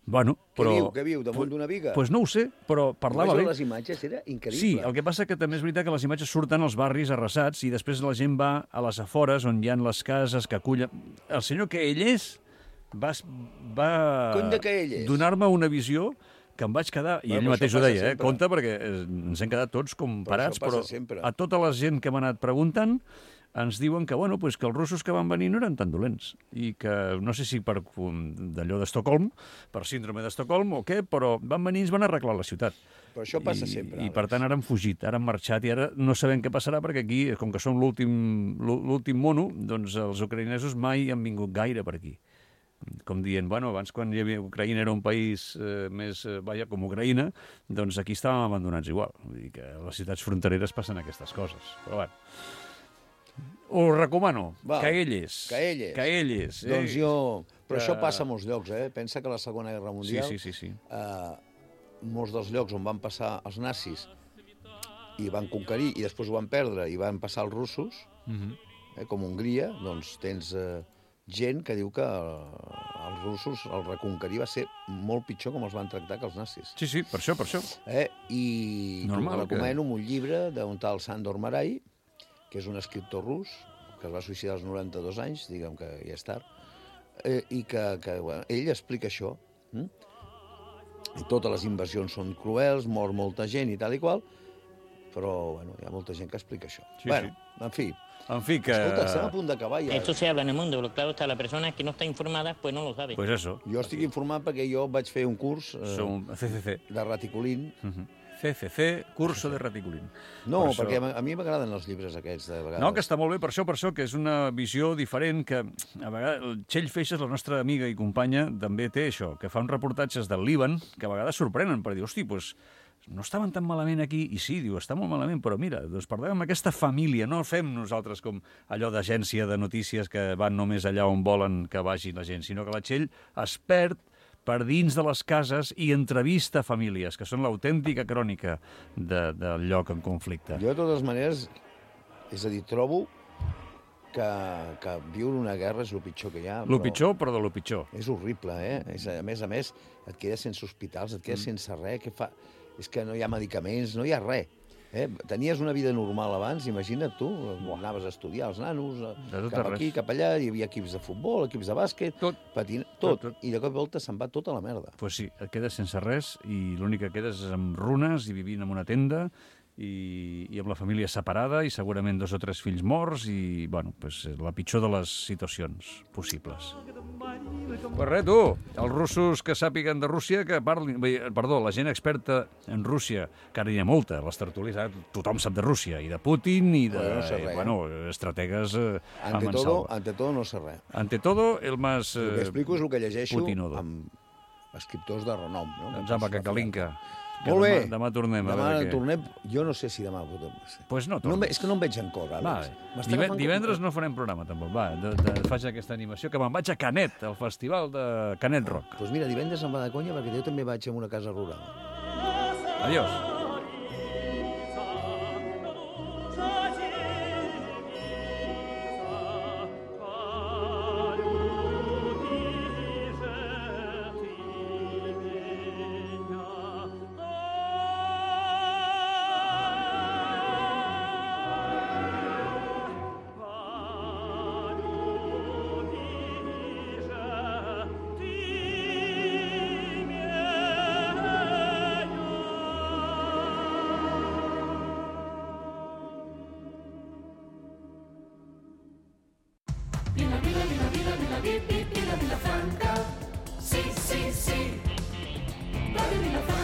S7: Bueno,
S8: Què
S7: però...
S8: viu? Què viu? Damunt d'una viga?
S7: Doncs pues no ho sé, però parlava bé.
S8: Les imatges era increïble.
S7: Sí, el que passa que també és veritat que les imatges surten als barris arrasats i després la gent va a les afores on hi ha les cases que acullen... El senyor que ell és va, va
S8: Cony de que ell és.
S7: donar-me una visió que em vaig quedar, i
S8: Bueno,
S7: ell
S8: però
S7: mateix
S8: això
S7: ho
S8: passa
S7: deia, eh?
S8: sempre.
S7: Compte, perquè eh, ens hem quedat tots com
S8: Però
S7: parats,
S8: això passa
S7: però
S8: sempre.
S7: a tota la gent que m'ha anat preguntant ens diuen que, bueno, pues que els russos que van venir no eren tan dolents i que, no sé si per um, d'allò d'Estocolm, per síndrome d'Estocolm o què, però van venir i ens van arreglar la ciutat.
S8: Però això passa
S7: I,
S8: sempre,
S7: I,
S8: Àlex.
S7: per tant, ara han fugit, ara han marxat i ara no sabem què passarà perquè aquí, com que som l'últim l'últim mono, doncs els ucraïnesos mai han vingut gaire per aquí. Com dient, bueno, abans quan hi havia Ucraïna era un país eh, més, eh, vaja, com Ucraïna, doncs aquí estàvem abandonats igual. Vull dir que a les ciutats frontereres passen aquestes coses. Però bueno, ho recomano.
S8: Val.
S7: Caelles.
S8: Caelles.
S7: Caelles. Eh?
S8: Doncs jo... Però
S7: Que-
S8: això passa a molts llocs, eh? Pensa que a la Segona Guerra Mundial...
S7: Sí, sí, sí, sí.
S8: Eh, molts dels llocs on van passar els nazis i van conquerir i després ho van perdre i van passar els russos,
S7: Mhm.
S8: eh, com Hongria, doncs tens eh, gent que diu que eh, els russos, el reconquerir va ser molt pitjor com els van tractar que els nazis.
S7: Sí, sí, per això, per això.
S8: Eh? I
S7: Normal,
S8: t'ho recomano un llibre d'un tal Sandor Marai, que és un escriptor rus, que es va suïcidar als noranta-dos anys, diguem que ja és tard, eh, i que, que bueno, ell explica això. Hm? I totes les invasions són cruels, mor molta gent i tal i qual, però bueno, hi ha molta gent que explica això.
S7: Sí,
S8: bueno,
S7: sí.
S8: en fi.
S7: En fi, que...
S8: Escolta, estem a punt d'acabar ja.
S6: Esto se habla en el mundo, pero claro está, la persona que no está informada, pues no lo sabe.
S7: Pues eso.
S8: Jo estic informat perquè jo vaig fer un curs eh,
S7: Som C C C.
S8: de raticulín,
S7: Mhm. C C C, curso de reticulín.
S8: No,
S7: Per
S8: perquè
S7: això-
S8: a mi m'agraden els llibres aquests, de vegades.
S7: No, que està molt bé, per això, per això, que és una visió diferent, que a vegades, el Txell Feixes, la nostra amiga i companya, també té això, que fa uns reportatges del Líban, que a vegades sorprenen, per dir, hosti, doncs, no estaven tan malament aquí, i sí, diu, està molt malament, però mira, doncs parlem amb aquesta família, no fem nosaltres com allò d'agència de notícies que van només allà on volen que vagi la gent, sinó que la Txell es perd per dins de les cases i entrevista famílies, que són l'autèntica crònica de, del lloc en conflicte.
S8: Jo, de totes maneres, és a dir, trobo que, que viure una guerra és el pitjor que hi ha.
S7: Lo pitjor, però de lo pitjor.
S8: És horrible, eh? És, a més a més, et quedes sense hospitals, et quedes mm. sense res. Què fa? És que no hi ha medicaments, no hi ha res. Eh? Tenies una vida normal abans, imagina't tu, anaves a estudiar els nanos, cap aquí, cap allà, hi havia equips de futbol, equips de bàsquet, tot, patina, tot, tot, tot. I de cop i volta se'n va tota la merda.
S7: Doncs pues sí, et quedes sense res i l'únic que quedes és amb runes i vivint en una tenda i, i amb la família separada i segurament dos o tres fills morts i, bueno, pues, la pitjor de les situacions possibles. Pues res, tu, els russos que sàpiguen de Rússia, que parlin... Perdó, la gent experta en Rússia, que ara hi ha molta, les tertúlies, tothom sap de Rússia, i de Putin, i de...
S8: Bueno, no sé res,
S7: eh, bueno, estrategues eh, a
S8: ante
S7: mansalva.
S8: todo, ante todo no sé res.
S7: Ante todo, el más... Eh,
S8: el que explico és el que llegeixo
S7: Putinodo.
S8: amb escriptors de renom. No?
S7: Em sembla que calinca.
S8: Molt bé.
S7: Demà, demà tornem.
S8: Demà
S7: a veure què.
S8: tornem. Jo no sé si demà podem.
S7: Pues no,
S8: no és que no em veig en cor, Àlex.
S7: Diven, divendres com... no farem programa, tampoc. Va, de, de, faig aquesta animació, que me'n vaig a Canet, al festival de Canet Rock.
S8: Doncs pues mira, divendres em va de conya, perquè jo també vaig a una casa rural.
S7: Adiós.
S1: Vila, vila, vila, vila, vila, vila, vila, vila Franca. Sí, sí, sí. Radio Vila Franca.